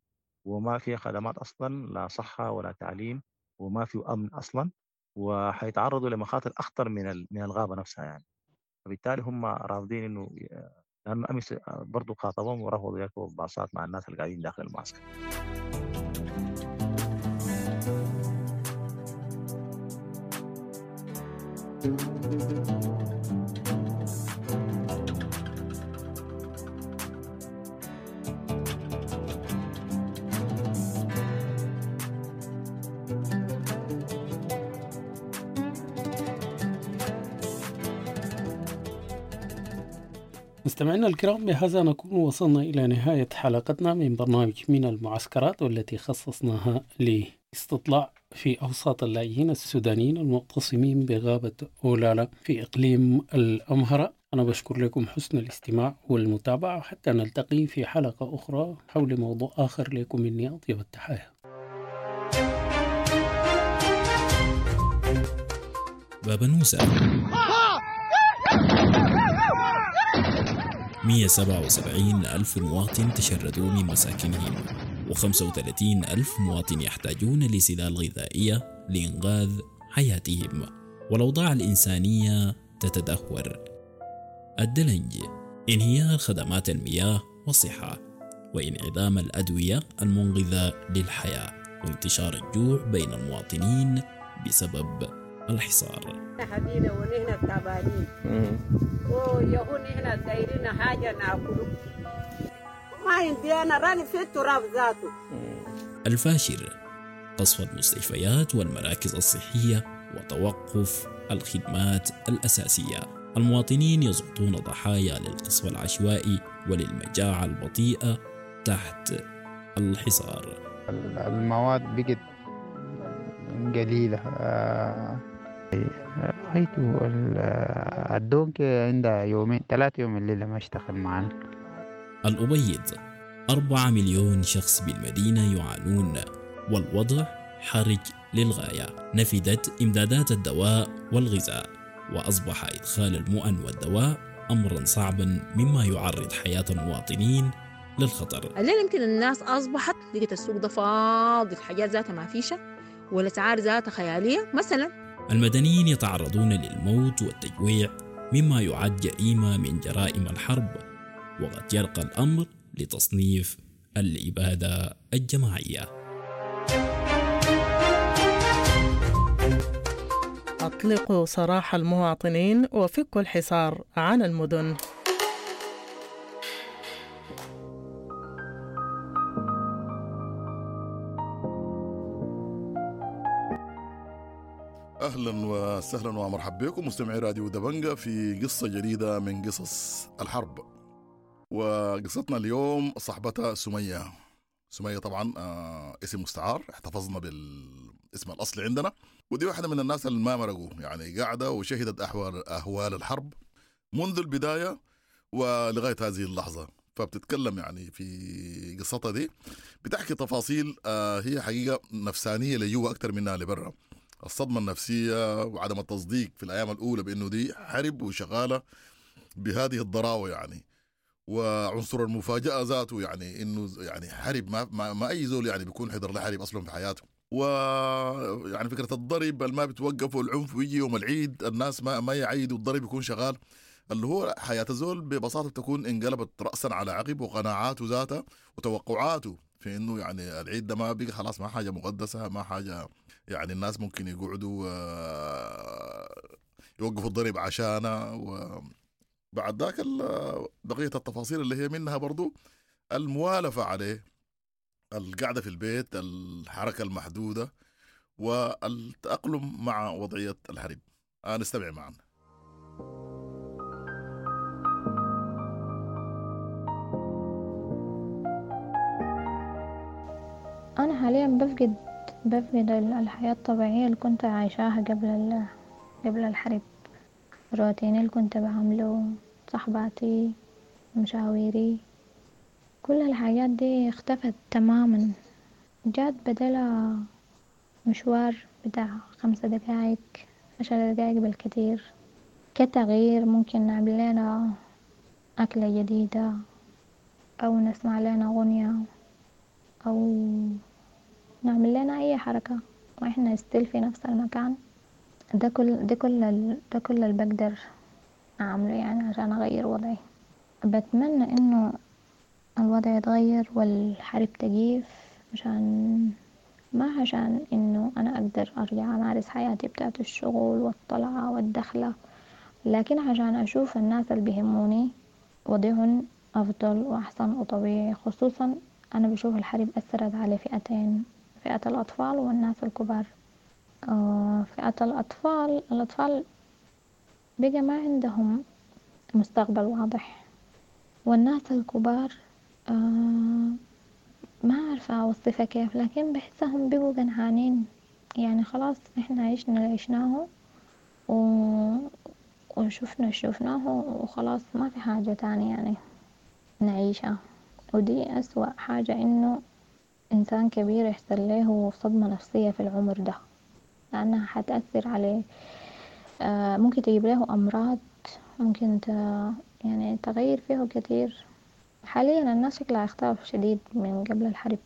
وما فيه خدمات اصلا، لا صحة ولا تعليم، وما فيه امن اصلا، وحيتعرضوا لمخاطر اخطر من الغابة نفسها يعني. فبالتالي هم رافضين انه، لانه امس برضه خاطبهم ورفضوا يركبوا باصات مع الناس اللي قاعدين داخل المعسكر. مستمعينا الكرام، بهذا نكون وصلنا إلى نهاية حلقتنا من برنامج من المعسكرات، والتي خصصناها لاستطلاع في أوساط اللاجئين السودانيين المعتصمين بغابة أولالا في إقليم الأمهرة. أنا بشكر لكم حسن الاستماع والمتابعة، حتى نلتقي في حلقة أخرى حول موضوع آخر. لكم مني أطيب التحايا. بابنوسة 177 ألف مواطن تشردوا من مساكنهم، و35 ألف مواطن يحتاجون لسلال غذائية لإنقاذ حياتهم، والأوضاع الإنسانية تتدهور. الدلنج، انهيار خدمات المياه والصحة، وانعدام الأدوية المنقذة للحياة، وانتشار الجوع بين المواطنين بسبب الحصار. حدينا ونحن تعبانين ويهون نحن دايرين حاجة ناكله، ما عندي أنا راني في التراب ذاته. الفاشر، قصف المستشفيات والمراكز الصحية وتوقف الخدمات الأساسية. المواطنين يسقطون ضحايا للقصف العشوائي وللمجاعة البطيئة تحت الحصار. المواد بقت قليلة. رأيت الدونك عندها يومين 3 يوم الليلة ما اشتغل معنا. الأبيض، 4 مليون شخص بالمدينة يعانون، والوضع حرج للغاية. نفدت إمدادات الدواء والغذاء، وأصبح إدخال المؤن والدواء أمرا صعبا، مما يعرض حياة المواطنين للخطر. الليلة يمكن الناس أصبحت لقيت السوق ده فاضي، الحاجات ذاتها ما فيشة والأسعار ذاتها خيالية مثلا. المدنيين يتعرضون للموت والتجويع، مما يعد جريمة من جرائم الحرب، وقد يرقى الأمر لتصنيف الإبادة الجماعية. أطلقوا سراح المواطنين وفكوا الحصار عن المدن. اهلا وسهلا ومرحبا بكم مستمعي راديو دبنجة في قصة جديدة من قصص الحرب. وقصتنا اليوم صاحبتها سمية. سمية طبعا اسم مستعار، احتفظنا الاسم الأصلي عندنا. ودي واحدة من الناس اللي ما مرقوا، يعني قاعدة وشهدت أهوال الحرب منذ البداية ولغاية هذه اللحظة. فبتتكلم يعني في قصتها دي، بتحكي تفاصيل هي حقيقة نفسانية لجوا أكثر منها لبرا. الصدمة النفسية وعدم التصديق في الأيام الأولى بأنه دي حرب وشغالة بهذه الضراوة يعني، وعنصر المفاجأة ذاته، يعني إنه يعني حرب ما أي زول يعني بيكون حضر لحرب أصلا في حياته. ويعني فكرة الضرب اللي ما بتوقف والعنف، ويجي يوم العيد الناس ما يعيدوا، الضرب يكون شغال، اللي هو حياة الزول ببساطة تكون انقلبت رأسا على عقب، وقناعاته ذاتها وتوقعاته في انه يعني العيد ده ما بقى خلاص، ما حاجة مقدسة، ما حاجة يعني الناس ممكن يقعدوا يوقفوا الضرب عشانها. وبعد ذاك بقية التفاصيل اللي هي منها برضو الموالفة عليه، القعدة في البيت، الحركة المحدودة، والتأقلم مع وضعية الحرب. نستمع معا. أنا حاليا بفقد الحياة الطبيعية اللي كنت عايشاها قبل الحرب. روتيني اللي كنت بعمله، صحباتي، مشاويري، كل الحاجات دي اختفت تماما. جات بدلها مشوار بتاع 5 دقايق، 10 دقايق بالكثير. كتغيير ممكن نعمل لنا أكلة جديدة، أو نسمع لنا أغنية، أو نعمل لنا أي حركة وإحنا ستيل في نفس المكان. ده كل اللي بقدر أعمله يعني عشان أغير وضعي. بتمنى إنه الوضع يتغير والحرب تقيف، ما عشان إنه أنا أقدر أرجع أمارس حياتي بتاعت الشغل والطلعة والدخلة، لكن عشان أشوف الناس اللي بيهموني وضعهم أفضل وأحسن وطبيعي. خصوصا أنا بشوف الحرب أثرت على فئتين، فئة الأطفال والناس الكبار. فئة الأطفال بقى ما عندهم مستقبل واضح، والناس الكبار ما عارفة أوصفها كيف، لكن بحسهم بقوا قنعانين، يعني خلاص إحنا عشنا اللي عشناه وشفنا اللي شفناه وخلاص ما في حاجة تانية يعني نعيشها. ودي أسوأ حاجة، إنه إنسان كبير يحصل له صدمة نفسية في العمر ده، لأنها حتأثر عليه، ممكن تجيب له أمراض، ممكن يعني تغير فيه كتير. حاليا الناس شكلها اختلف شديد من قبل الحرب،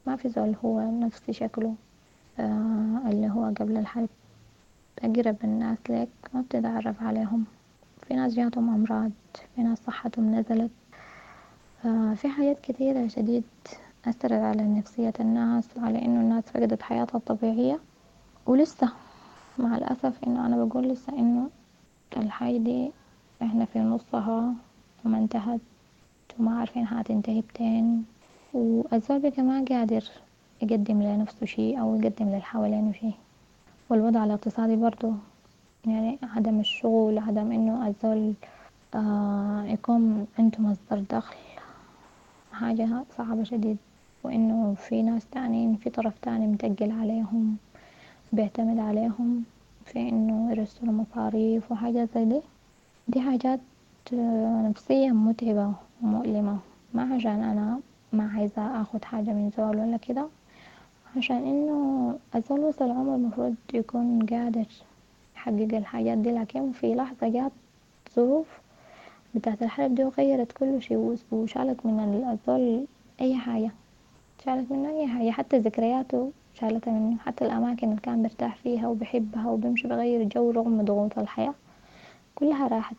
ما في زول هو نفس شكله اللي هو قبل الحرب. أقرب الناس لك ما بتتعرف عليهم، في ناس جاتهم أمراض، في ناس صحتهم نزلت، في حاجات كثيرة شديد أثرت على نفسية الناس وعلى إنه الناس فقدت حياتها الطبيعية. ولسه مع الأسف إنه أنا بقول لسه إنه الحاجة دي إحنا في نصها وما انتهت وما عارفين هتنتهي بتين، والزول بقى ما قادر يقدم لنفسه شيء أو يقدم للحوالينه شيء. والوضع الاقتصادي برضو يعني عدم الشغل، عدم إنه الزول يكون عنده مصدر دخل، حاجة صعبة شديد. وإنه في ناس تانيين في طرف تاني متقل عليهم، بيعتمد عليهم في إنه يرسلوا مصاريف وحاجات زي دي. دي حاجات نفسية متعبة ومؤلمة، ما عشان أنا ما عايزة أخد حاجة من زول ولا كده، عشان إنه الزول وصل عمر المفروض يكون قادر يحقق الحاجات دي، لكن في لحظة جات ظروف بتاعت الحرب دي وغيرت كل شيء وشالت من الزول أي حاجة، شالت منه أي حاجة، حتى ذكرياته شالتها منه، حتى الأماكن اللي كان برتاح فيها وبحبها وبمشي بغير جو رغم ضغوط الحياة كلها راحت.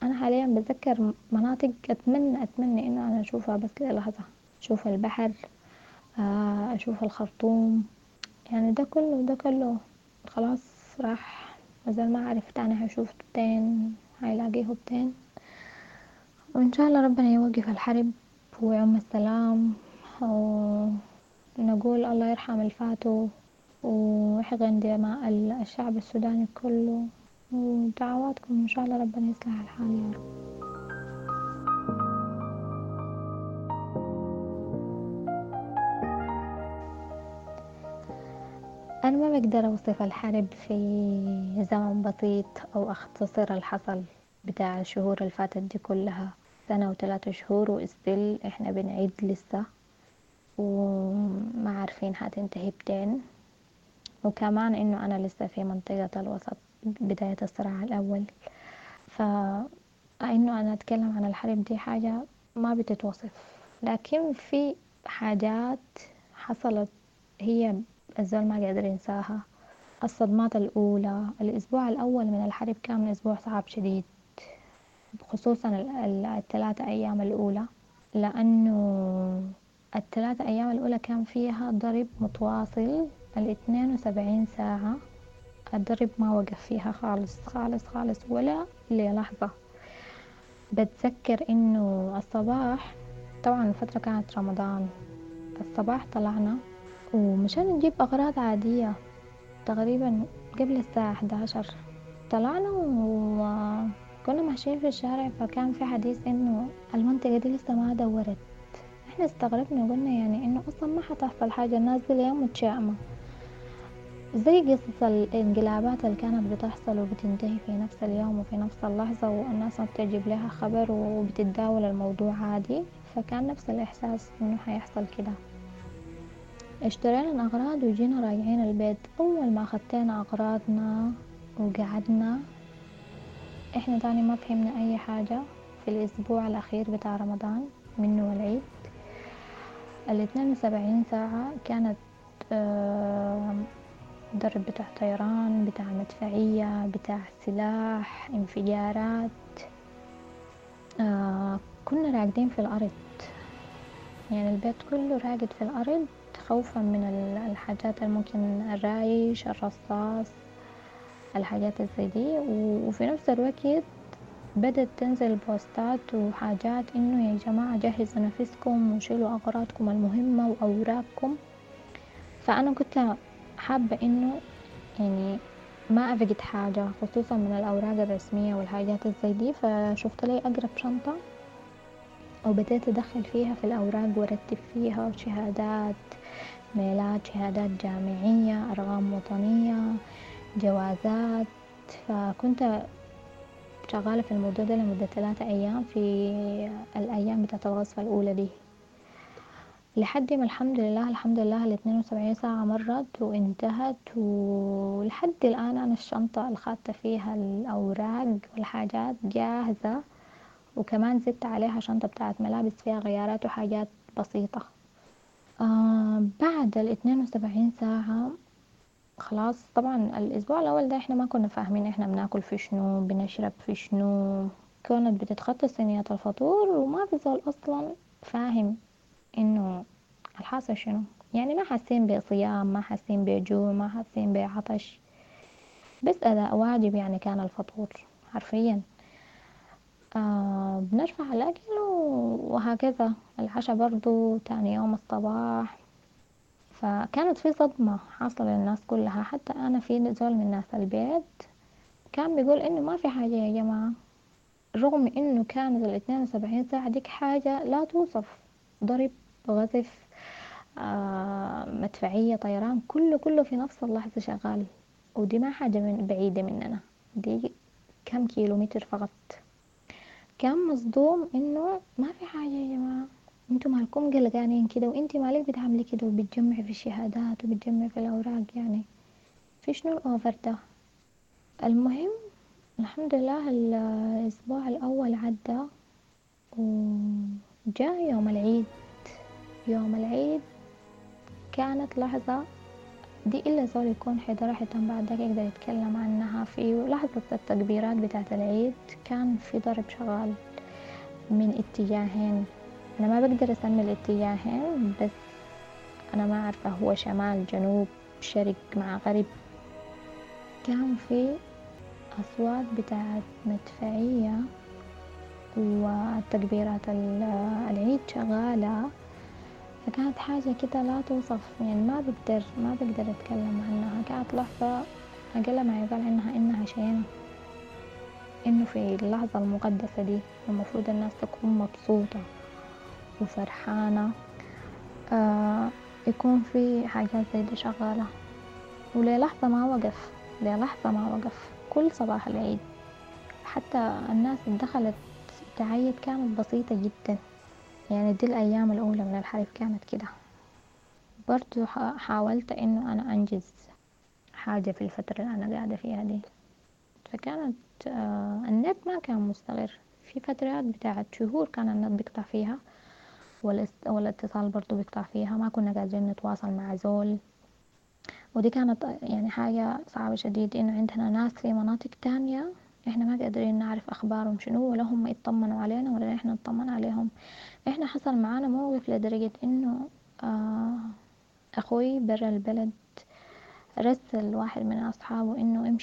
أنا حاليا بتذكر مناطق أتمنى إنه أنا أشوفها بس للحظة، أشوف البحر، أشوف الخرطوم، يعني ده كله خلاص راح، مازال ما عرفت أنا هشوف بتين، هيلاقيه بتين. وإن شاء الله ربنا يوقف الحرب ويعم السلام، ونقول الله يرحم الفاتو ويحقن دماء الشعب السوداني كله، ودعواتكم إن شاء الله ربنا يصلح الحال يا رب. أنا ما بقدر أوصف الحرب في زمن بسيط أو اختصر الحصل بتاع الشهور الفاتت دي كلها، سنة و 3 شهور و استيل احنا بنعد لسه و ما عارفين حتنتهي بتين و كمان انو أنا لسه في منطقة الوسط بداية الصراع الأول، فا انو أنا اتكلم عن الحرب دي حاجة ما بتتوصف، لكن في حاجات حصلت هي الزول ما قادر ينساها، الصدمات الأولى، الأسبوع الأول من الحرب كان أسبوع صعب شديد، خصوصا ال3 أيام الأولى، لأنو ال3 أيام الأولى كان فيها ضرب متواصل ال72 ساعة، الضرب ما وقف فيها خالص خالص خالص ولا للحظة. بتذكر إنه الصباح، طبعا الفترة كانت رمضان، الصباح طلعنا ومشان نجيب أغراض عادية تقريبا قبل الساعة 11 طلعنا وكنا ماشيين في الشارع، فكان في حديث إنه المنطقة دي لسه ما دورت. احنا استغربنا وقلنا إنه أصلا ما حتحصل حاجة، الناس دي ليه متشائمة، زي قصص الانقلابات اللي كانت بتحصل وبتنتهي في نفس اليوم وفي نفس اللحظة والناس ما بتجيب لها خبر وبتتداول الموضوع عادي. فكان نفس الإحساس إنه حيحصل كده. اشترينا الأغراض وجينا راجعين البيت. أول ما خدتنا أغراضنا وقعدنا احنا تاني ما فهمنا أي حاجة في الأسبوع الأخير بتاع رمضان منه والعيد. 72 ساعة كانت ضرب بتاع طيران، بتاع مدفعية، بتاع سلاح، انفجارات. كنا راقدين في الأرض، البيت كله راقد في الأرض خوفا من الحاجات اللي ممكن الرايش، الرصاص، الحاجات زي دي. وفي نفس الوقت بدت تنزل بوستات وحاجات إنه يا جماعة جهزوا نفسكم وشيلوا أغراضكم المهمة وأوراقكم. فأنا كنت حابة إنه ما أفقد حاجة، خصوصا من الأوراق الرسمية والحاجات زي دي. فشفت لي أقرب شنطة وبدأت أدخل فيها في الأوراق وأرتب فيها، وشهادات ميلاد، شهادات جامعية، أرقام وطنية، جوازات. فكنت شغالة في الموضوع ده لمدة 3 أيام في الأيام بتاعت الغزوة الأولى دي، لحد ما الحمد لله، الحمد لله 72 ساعة مرت وانتهت. ولحد الآن أنا الشنطة اللي خدت فيها الأوراق والحاجات جاهزة، وكمان زدت عليها شنطة بتاعت ملابس فيها غيارات وحاجات بسيطة. بعد 72 ساعة خلاص، طبعا الأسبوع الأول ده احنا ما كنا فاهمين احنا بناكل في شنو، بنشرب في شنو، كانت بتتخطى صينية الفطور وما في زول أصلا فاهم إنه الحاصل شنو، ما حاسين بصيام، ما حاسين بجوع، ما حاسين بعطش، بس أداء واجب كان الفطور حرفيا. بنرفع الأكل وهكذا. العشاء برضو تاني يوم الصباح. فكانت في صدمة حاصلة للناس كلها، حتى أنا في زول من ناس البيت كان بيقول إنه ما في حاجة يا جماعة، رغم إنه كانت 72 ساعة ديك حاجة لا توصف، ضرب، غزف، مدفعية، طيران، كله في نفس اللحظة شغال. ودي ما حاجة من بعيدة مننا، دي كم كيلومتر فقط. كان مصدوم إنه ما في حاجة يا جماعة، انتوا مالكم قلقانين كده، وانتي مالك بتعملي كده وبتجمعي في الشهادات وبتجمعي في الأوراق، في شنو الأوفر ده؟ المهم الحمد لله الأسبوع الأول عدى وجاء يوم العيد. يوم العيد كانت لحظة دي إلا زول يكون حضرها حتى بعد ذاك يقدر يتكلم عنها. في لحظة التكبيرات بتاعت العيد كان في ضرب شغال من اتجاهين، أنا ما بقدر أسمي الاتجاهين، بس أنا ما عارفة هو شمال جنوب شرق مع غرب. كان في أصوات بتاعت مدفعية والتكبيرات العيد شغالة، فكانت حاجة كده لا توصف، ما بقدر أتكلم عنها. كانت لحظة أقل ما يقال عنها إنها شينة، إنه في اللحظة المقدسة دي المفروض الناس تكون مبسوطة وفرحانة، يكون في حاجات زي دي شغالة. وللحظة ما وقف، للحظة ما وقف، كل صباح العيد. حتى الناس الدخلت تعيد كانت بسيطة جدا، يعني دي الأيام الأولى من الحرب كانت كده. برضو حاولت إنه أنا أنجز حاجة في الفترة اللي أنا قاعدة فيها دي. فكانت النت ما كان مستقر، في فترات بتاعت شهور كان النت بيقطع فيها، والاتصال برضو بيقطع فيها، ما كنا قادرين نتواصل مع زول. ودي كانت حاجة صعبة شديد، إنه عندنا ناس في مناطق تانية إحنا ما قادرين نعرف أخبارهم شنو، ولا هم يطمنوا علينا ولا إحنا نطمن عليهم. إحنا حصل معانا موقف لدرجة إنه أخوي برا البلد رسل واحد من أصحابه إنه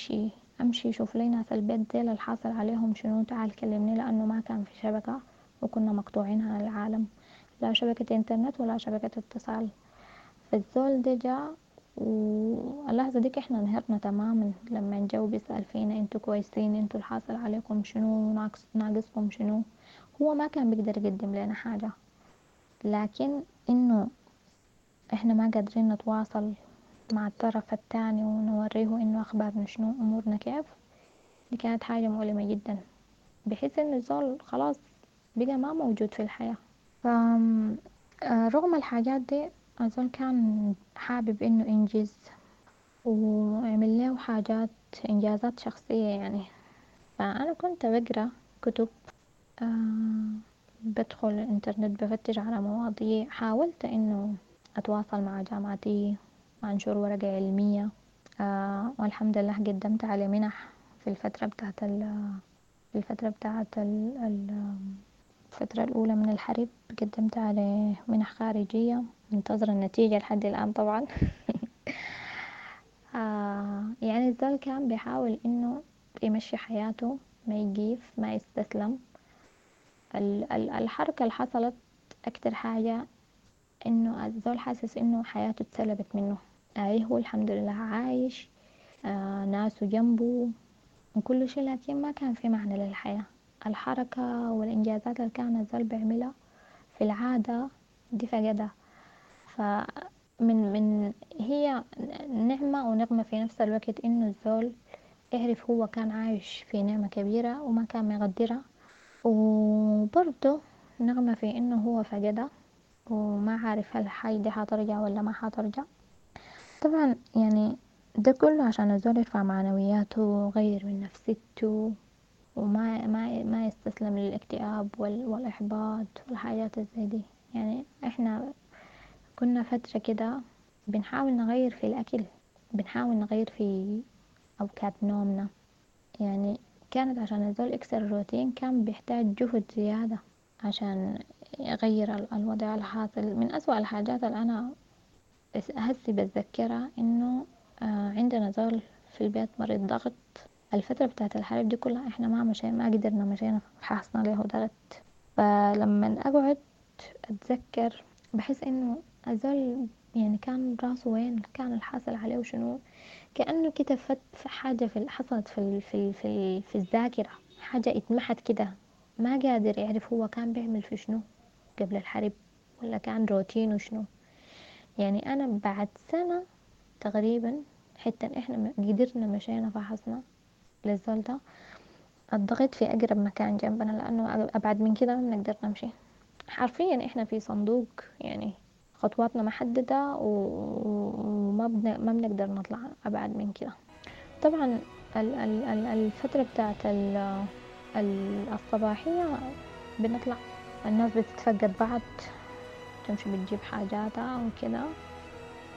امشي شوف لي ناس البيت ديل الحاصل عليهم شنو، تعال كلمني، لأنه ما كان في شبكة وكنا مقطوعين عن العالم، لا شبكة انترنت ولا شبكة اتصال. فالزول ده جاء، واللحظة ديك احنا انهرنا تماما لما جو بيسأل فينا انتوا كويسين، انتوا الحاصل عليكم شنو، ناقصكم شنو. هو ما كان بيقدر يقدم لنا حاجة، لكن انه احنا ما قادرين نتواصل مع الطرف الثاني ونوريه انه اخبارنا شنو، امورنا كيف. دي كانت حاجة مؤلمة جدا، بحيث انه الزول خلاص بقى ما موجود في الحياة. رغم الحاجات دي الزول كان حابب انه ينجز ويعمل له حاجات، انجازات شخصية. فأنا كنت بقرأ كتب، بدخل الانترنت بفتش على مواضيع، حاولت انه اتواصل مع جامعتي وانشر ورقة علمية، والحمد لله قدمت على منح في الفترة بتاعت ال، في الفترة بتاعت ال، ال، الفترة الأولى من الحرب، قدمت على منح خارجية، منتظرة النتيجة لحد الآن طبعا. الزول كان بيحاول إنه يمشي حياته، ما يقيف، ما يستسلم. الحركة اللي حصلت أكتر حاجة إنه الزول حاسس إنه حياته اتسلبت منه. أي هو الحمد لله عايش، ناسه جنبه وكل شيء، لكن ما كان في معنى للحياة. الحركة والإنجازات اللي كان الزول بيعملها في العادة دي فقدها. فمن من هي نعمة ونقمة في نفس الوقت، إنه الزول يعرف هو كان عايش في نعمة كبيرة وما كان مقدرها، وبرضه نقمة في إنه هو فقدها وما عارف هل الحاجة دي حترجع ولا ما حترجع. طبعا ده كله عشان الزول يرفع معنوياته ويغير من نفسيته وما ما ما يستسلم للاكتئاب والإحباط والحاجات زي دي. احنا كنا فترة كده بنحاول نغير في الأكل، بنحاول نغير في أوقات نومنا. كانت عشان الزول يكسر الروتين كان بيحتاج جهد زيادة عشان يغير الوضع الحاصل. من أسوأ الحاجات اللي أنا هسي بتذكرها إنه عندنا زول في البيت مريض ضغط. الفترة بتاعت الحرب دي كلها إحنا ما قدرنا مشينا فحصنا له ضغط. فلما أقعد أتذكر بحس إنه الزول كان راسه وين، كان الحاصل عليه وشنو، كأنه كده في حاجة حصلت في الذاكرة، حاجة اتمحت كده، ما قادر يعرف هو كان بيعمل في شنو قبل الحرب ولا كان روتينه شنو. أنا بعد سنة تقريبا حتى إحنا قدرنا مشينا فحصنا للزول ده الضغط في أقرب مكان جنبنا، لأنه أبعد من كده ما بنقدر نمشي. حرفيا إحنا في صندوق، خطواتنا محددة وما ما بنقدر نطلع أبعد من كده. طبعا الفترة بتاعت الصباحية بنطلع، الناس بتتفقد بعض، تمشي بتجيب حاجاتها وكده،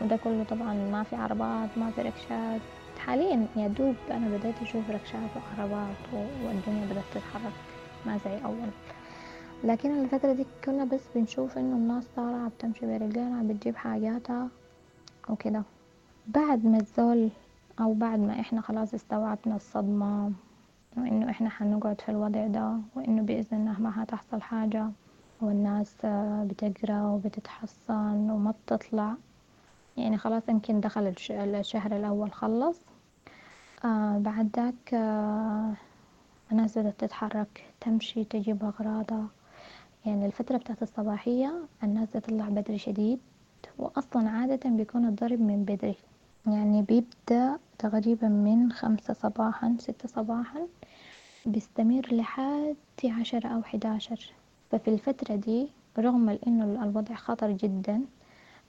وده كله طبعا ما في عربات، ما في ركشات. حاليا يا دوب أنا بدأت أشوف ركشات وعربات والدنيا بدأت تتحرك، ما زي أول. لكن الفترة دي كنا بس بنشوف إنه الناس طالعة بتمشي برجلينها بتجيب حاجاتها وكده. بعد ما الزول أو بعد ما إحنا خلاص استوعبنا الصدمة وإنه إحنا حنقعد في الوضع ده وإنه بإذن الله ما هتحصل حاجة والناس بتقرأ وبتتحصن وما بتطلع، خلاص يمكن دخل الشهر الأول خلص. بعد ذاك الناس بدأت تتحرك، تمشي تجيب أغراضها. الفترة بتاعت الصباحية الناس تطلع بدري شديد، وأصلا عادة بيكون الضرب من بدري، يعني بيبدأ تقريبا من 5 صباحا 6 صباحا، بيستمر لحد 10 أو 11. ففي الفترة دي رغم إنه الوضع خطر جدا،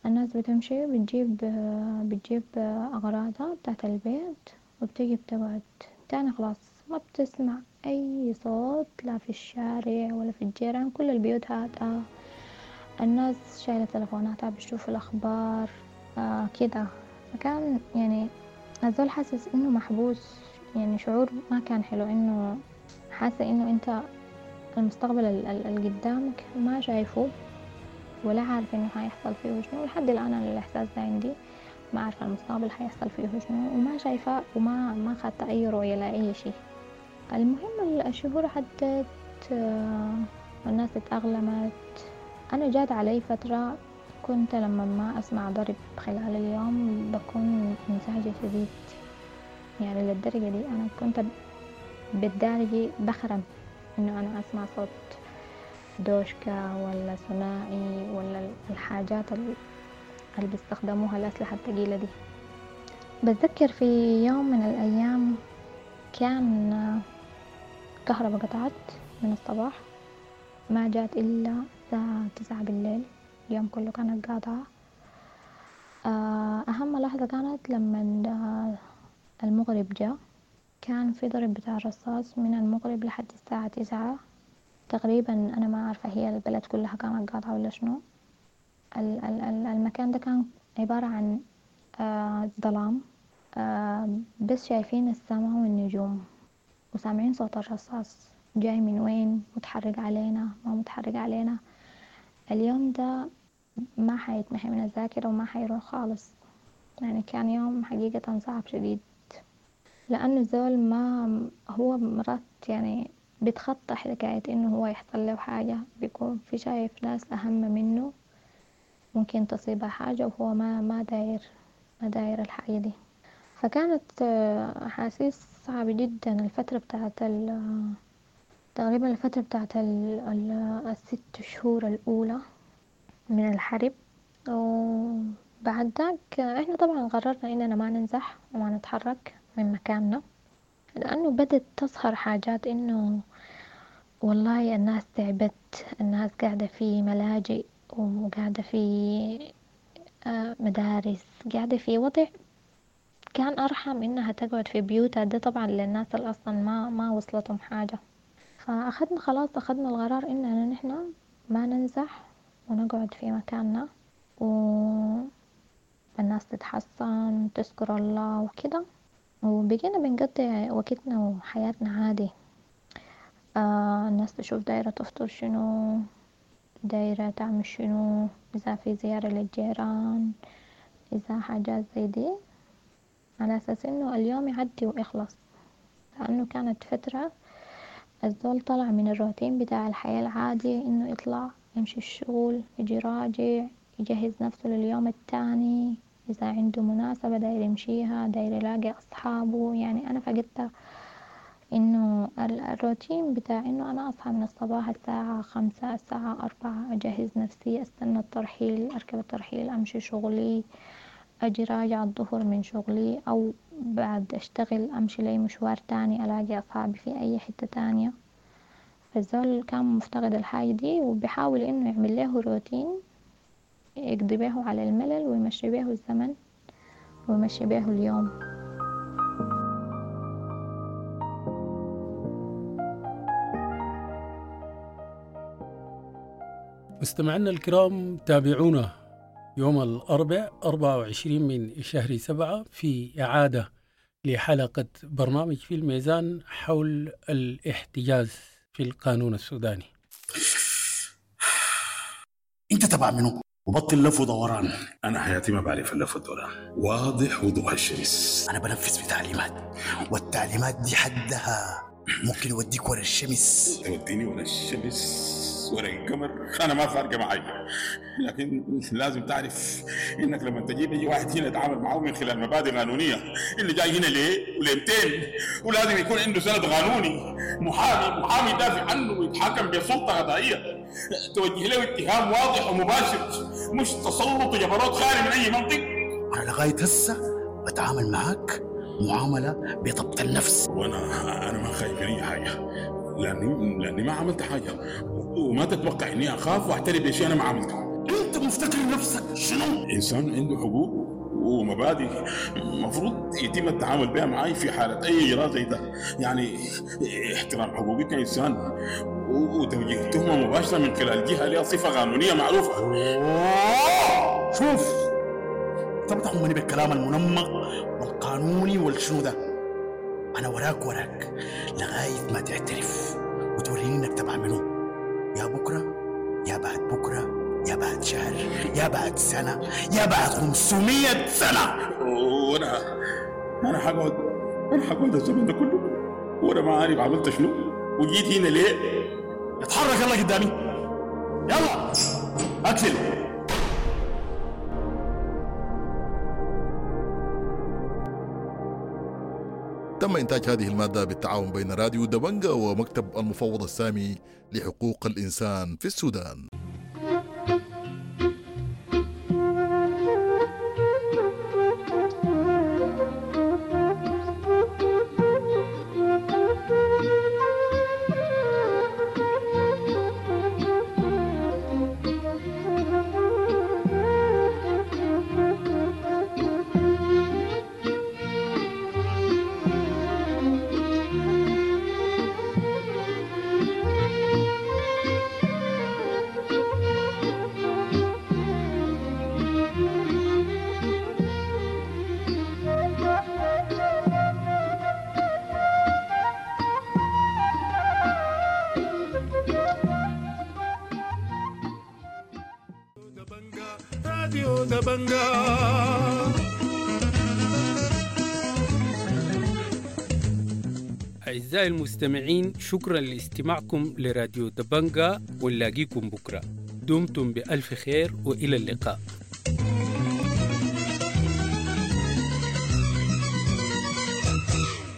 الناس بتمشي بتجيب أغراضها بتاعت البيت وبتيجي بتقعد تاني. خلاص ما بتسمع أي صوت، لا في الشارع ولا في الجيران، كل البيوت هادئة، الناس شايلة تلفوناتها بتشوف الأخبار كده. فكان يعني الزول حاسس إنه محبوس، يعني شعور ما كان حلو، إنه حاسة إنه أنت المستقبل اللي قدامك ما شايفه ولا عارف إنه حيحصل فيه شنو. لحد الآن أنا الإحساس ده عندي، ما عارفة المستقبل حيحصل فيه شنو، وما شايفة وما ما خدت أي رؤية لأي شيء. المهم الشهور عدت، والناس اتأقلمت. أنا جات علي فترة كنت لما ما أسمع ضرب خلال اليوم بكون منزعجة شديد، يعني للدرجة دي أنا كنت بالدارجة بخرم إنه أنا أسمع صوت دوشكا ولا ثنائي ولا الحاجات اللي بيستخدموها الأسلحة الثقيلة دي. بتذكر في يوم من الأيام كان كهرباء قطعت من الصباح، ما جات إلا الساعة 9 بالليل، اليوم كله كانت قاطعة. أهم لحظة كانت لما المغرب جاء، كان في ضرب بتاع الرصاص من المغرب لحد الساعة 9 تقريبا. أنا ما عارفة هي البلد كلها كانت قاطعة ولا شنو. المكان ده كان عبارة عن ظلام، بس شايفين السماء والنجوم وسامعين صوت الرصاص جاي من وين، متحرك علينا ما متحرك علينا. اليوم ده ما حيتمحي من الذاكرة وما حيروح خالص، يعني كان يوم حقيقة صعب شديد، لأنه الزول ما هو مرات يعني بيتخطى حكاية إنه هو يحصل له حاجة، بيكون في شايف ناس أهم منه ممكن تصيبها حاجة وهو ما داير الحاجة دي. فكانت أحاسيس صعبة جدا. الفترة بتاعت تقريبا الفترة بتاعت ال6 شهور الأولى من الحرب. وبعد ذاك احنا طبعا قررنا إننا ما ننزح وما نتحرك من مكاننا، لأنه بدت تظهر حاجات إنه والله الناس تعبت، الناس قاعدة في ملاجئ وقاعدة في مدارس، قاعدة في وضع كان أرحم إنها تقعد في بيوتها. ده طبعا للناس اللي أصلا ما وصلتهم حاجة. فأخذنا خلاص أخذنا القرار إننا نحن ما ننزح ونقعد في مكاننا والناس تتحصن وتذكر الله وكده، وبقينا بنقضي وقتنا وحياتنا عادي. الناس تشوف دايرة تفطر شنو، دايرة تعمل شنو، إذا في زيارة للجيران، إذا حاجات زي دي، على أساس إنه اليوم يعدي ويخلص. لأنه كانت فترة الزول طلع من الروتين بتاع الحياة العادي، إنه يطلع يمشي الشغل، يجي راجع، يجهز نفسه لليوم التاني، إذا عنده مناسبة داير يمشيها، داير يلاقي أصحابه. يعني أنا فقدت إنه الروتين بتاع إنه أنا أصحى من الصباح الساعة 5 الساعة 4، أجهز نفسي، أستنى الترحيل، أركب الترحيل، أمشي شغلي، أجي راجع الظهر من شغلي، أو بعد أشتغل أمشي لي مشوار تاني، ألاقي أصحابي في أي حتة تانية. فالزول كان مفتقد الحاجة دي، وبيحاول إنه يعمل له روتين يقضي به على الملل ويمشي به الزمن ويمشي به اليوم. مستمعينا الكرام، تابعونا يوم الأربعاء 24 من شهر 7 في إعادة لحلقة برنامج في الميزان حول الاحتجاز في القانون السوداني. انت تبع منو؟ وبطل لف ودوران. انا حياتي ما بعرف اللف والدوران، واضح وضوح الشمس. انا بنفذ في تعليمات، والتعليمات دي حدها ممكن يوديك ورا الشمس. توديني ورا الشمس ورا القمر، انا ما فارقه معي، لكن لازم تعرف انك لما تجيب اي واحد هنا يتعامل معه من خلال مبادئ قانونيه، اللي جاي هنا ليه وليمتين، ولازم يكون عنده سند قانوني، محامي يدافع عنه ويتحاكم بسلطه قضائيه، توجه له اتهام واضح ومباشر، مش تسلط وجبروت خالي من اي منطق. انا لغايه هسه بتعامل معاك معاملة بضبط النفس. وانا ما خايف من اي حاجة، لاني ما عملت حاجة، وما تتوقع اني اخاف واعترف بشيء انا ما عملته. انت مفتكر نفسك شنو؟ انسان عنده حقوق ومبادئ المفروض يتم التعامل بها معي في حالة أي إجراء زي ده، يعني احترام حقوقي كإنسان وتوجيه تهمة مباشرة من خلال جهة لها صفة قانونية معروفة. شوف، انت بتحمني بالكلام المنمق والقانوني والشنو ده. أنا وراك وراك لغاية ما تعترف وتوريني إنك تبع منو، يا بكرة يا بعد بكرة يا بعد شهر يا بعد سنة يا بعد 500 سنة. وأنا أنا حقعد أنا حقعد الزمن ده كله وأنا ما عارف عملت شنو وجيت هنا ليه. اتحرك يلا قدامي، يلا اقفل. تم إنتاج هذه المادة بالتعاون بين راديو دبنجا ومكتب المفوض السامي لحقوق الإنسان في السودان. أعزائي المستمعين، شكرا لاستماعكم لراديو دبنجا، ونلاقيكم بكرة. دمتم بألف خير وإلى اللقاء.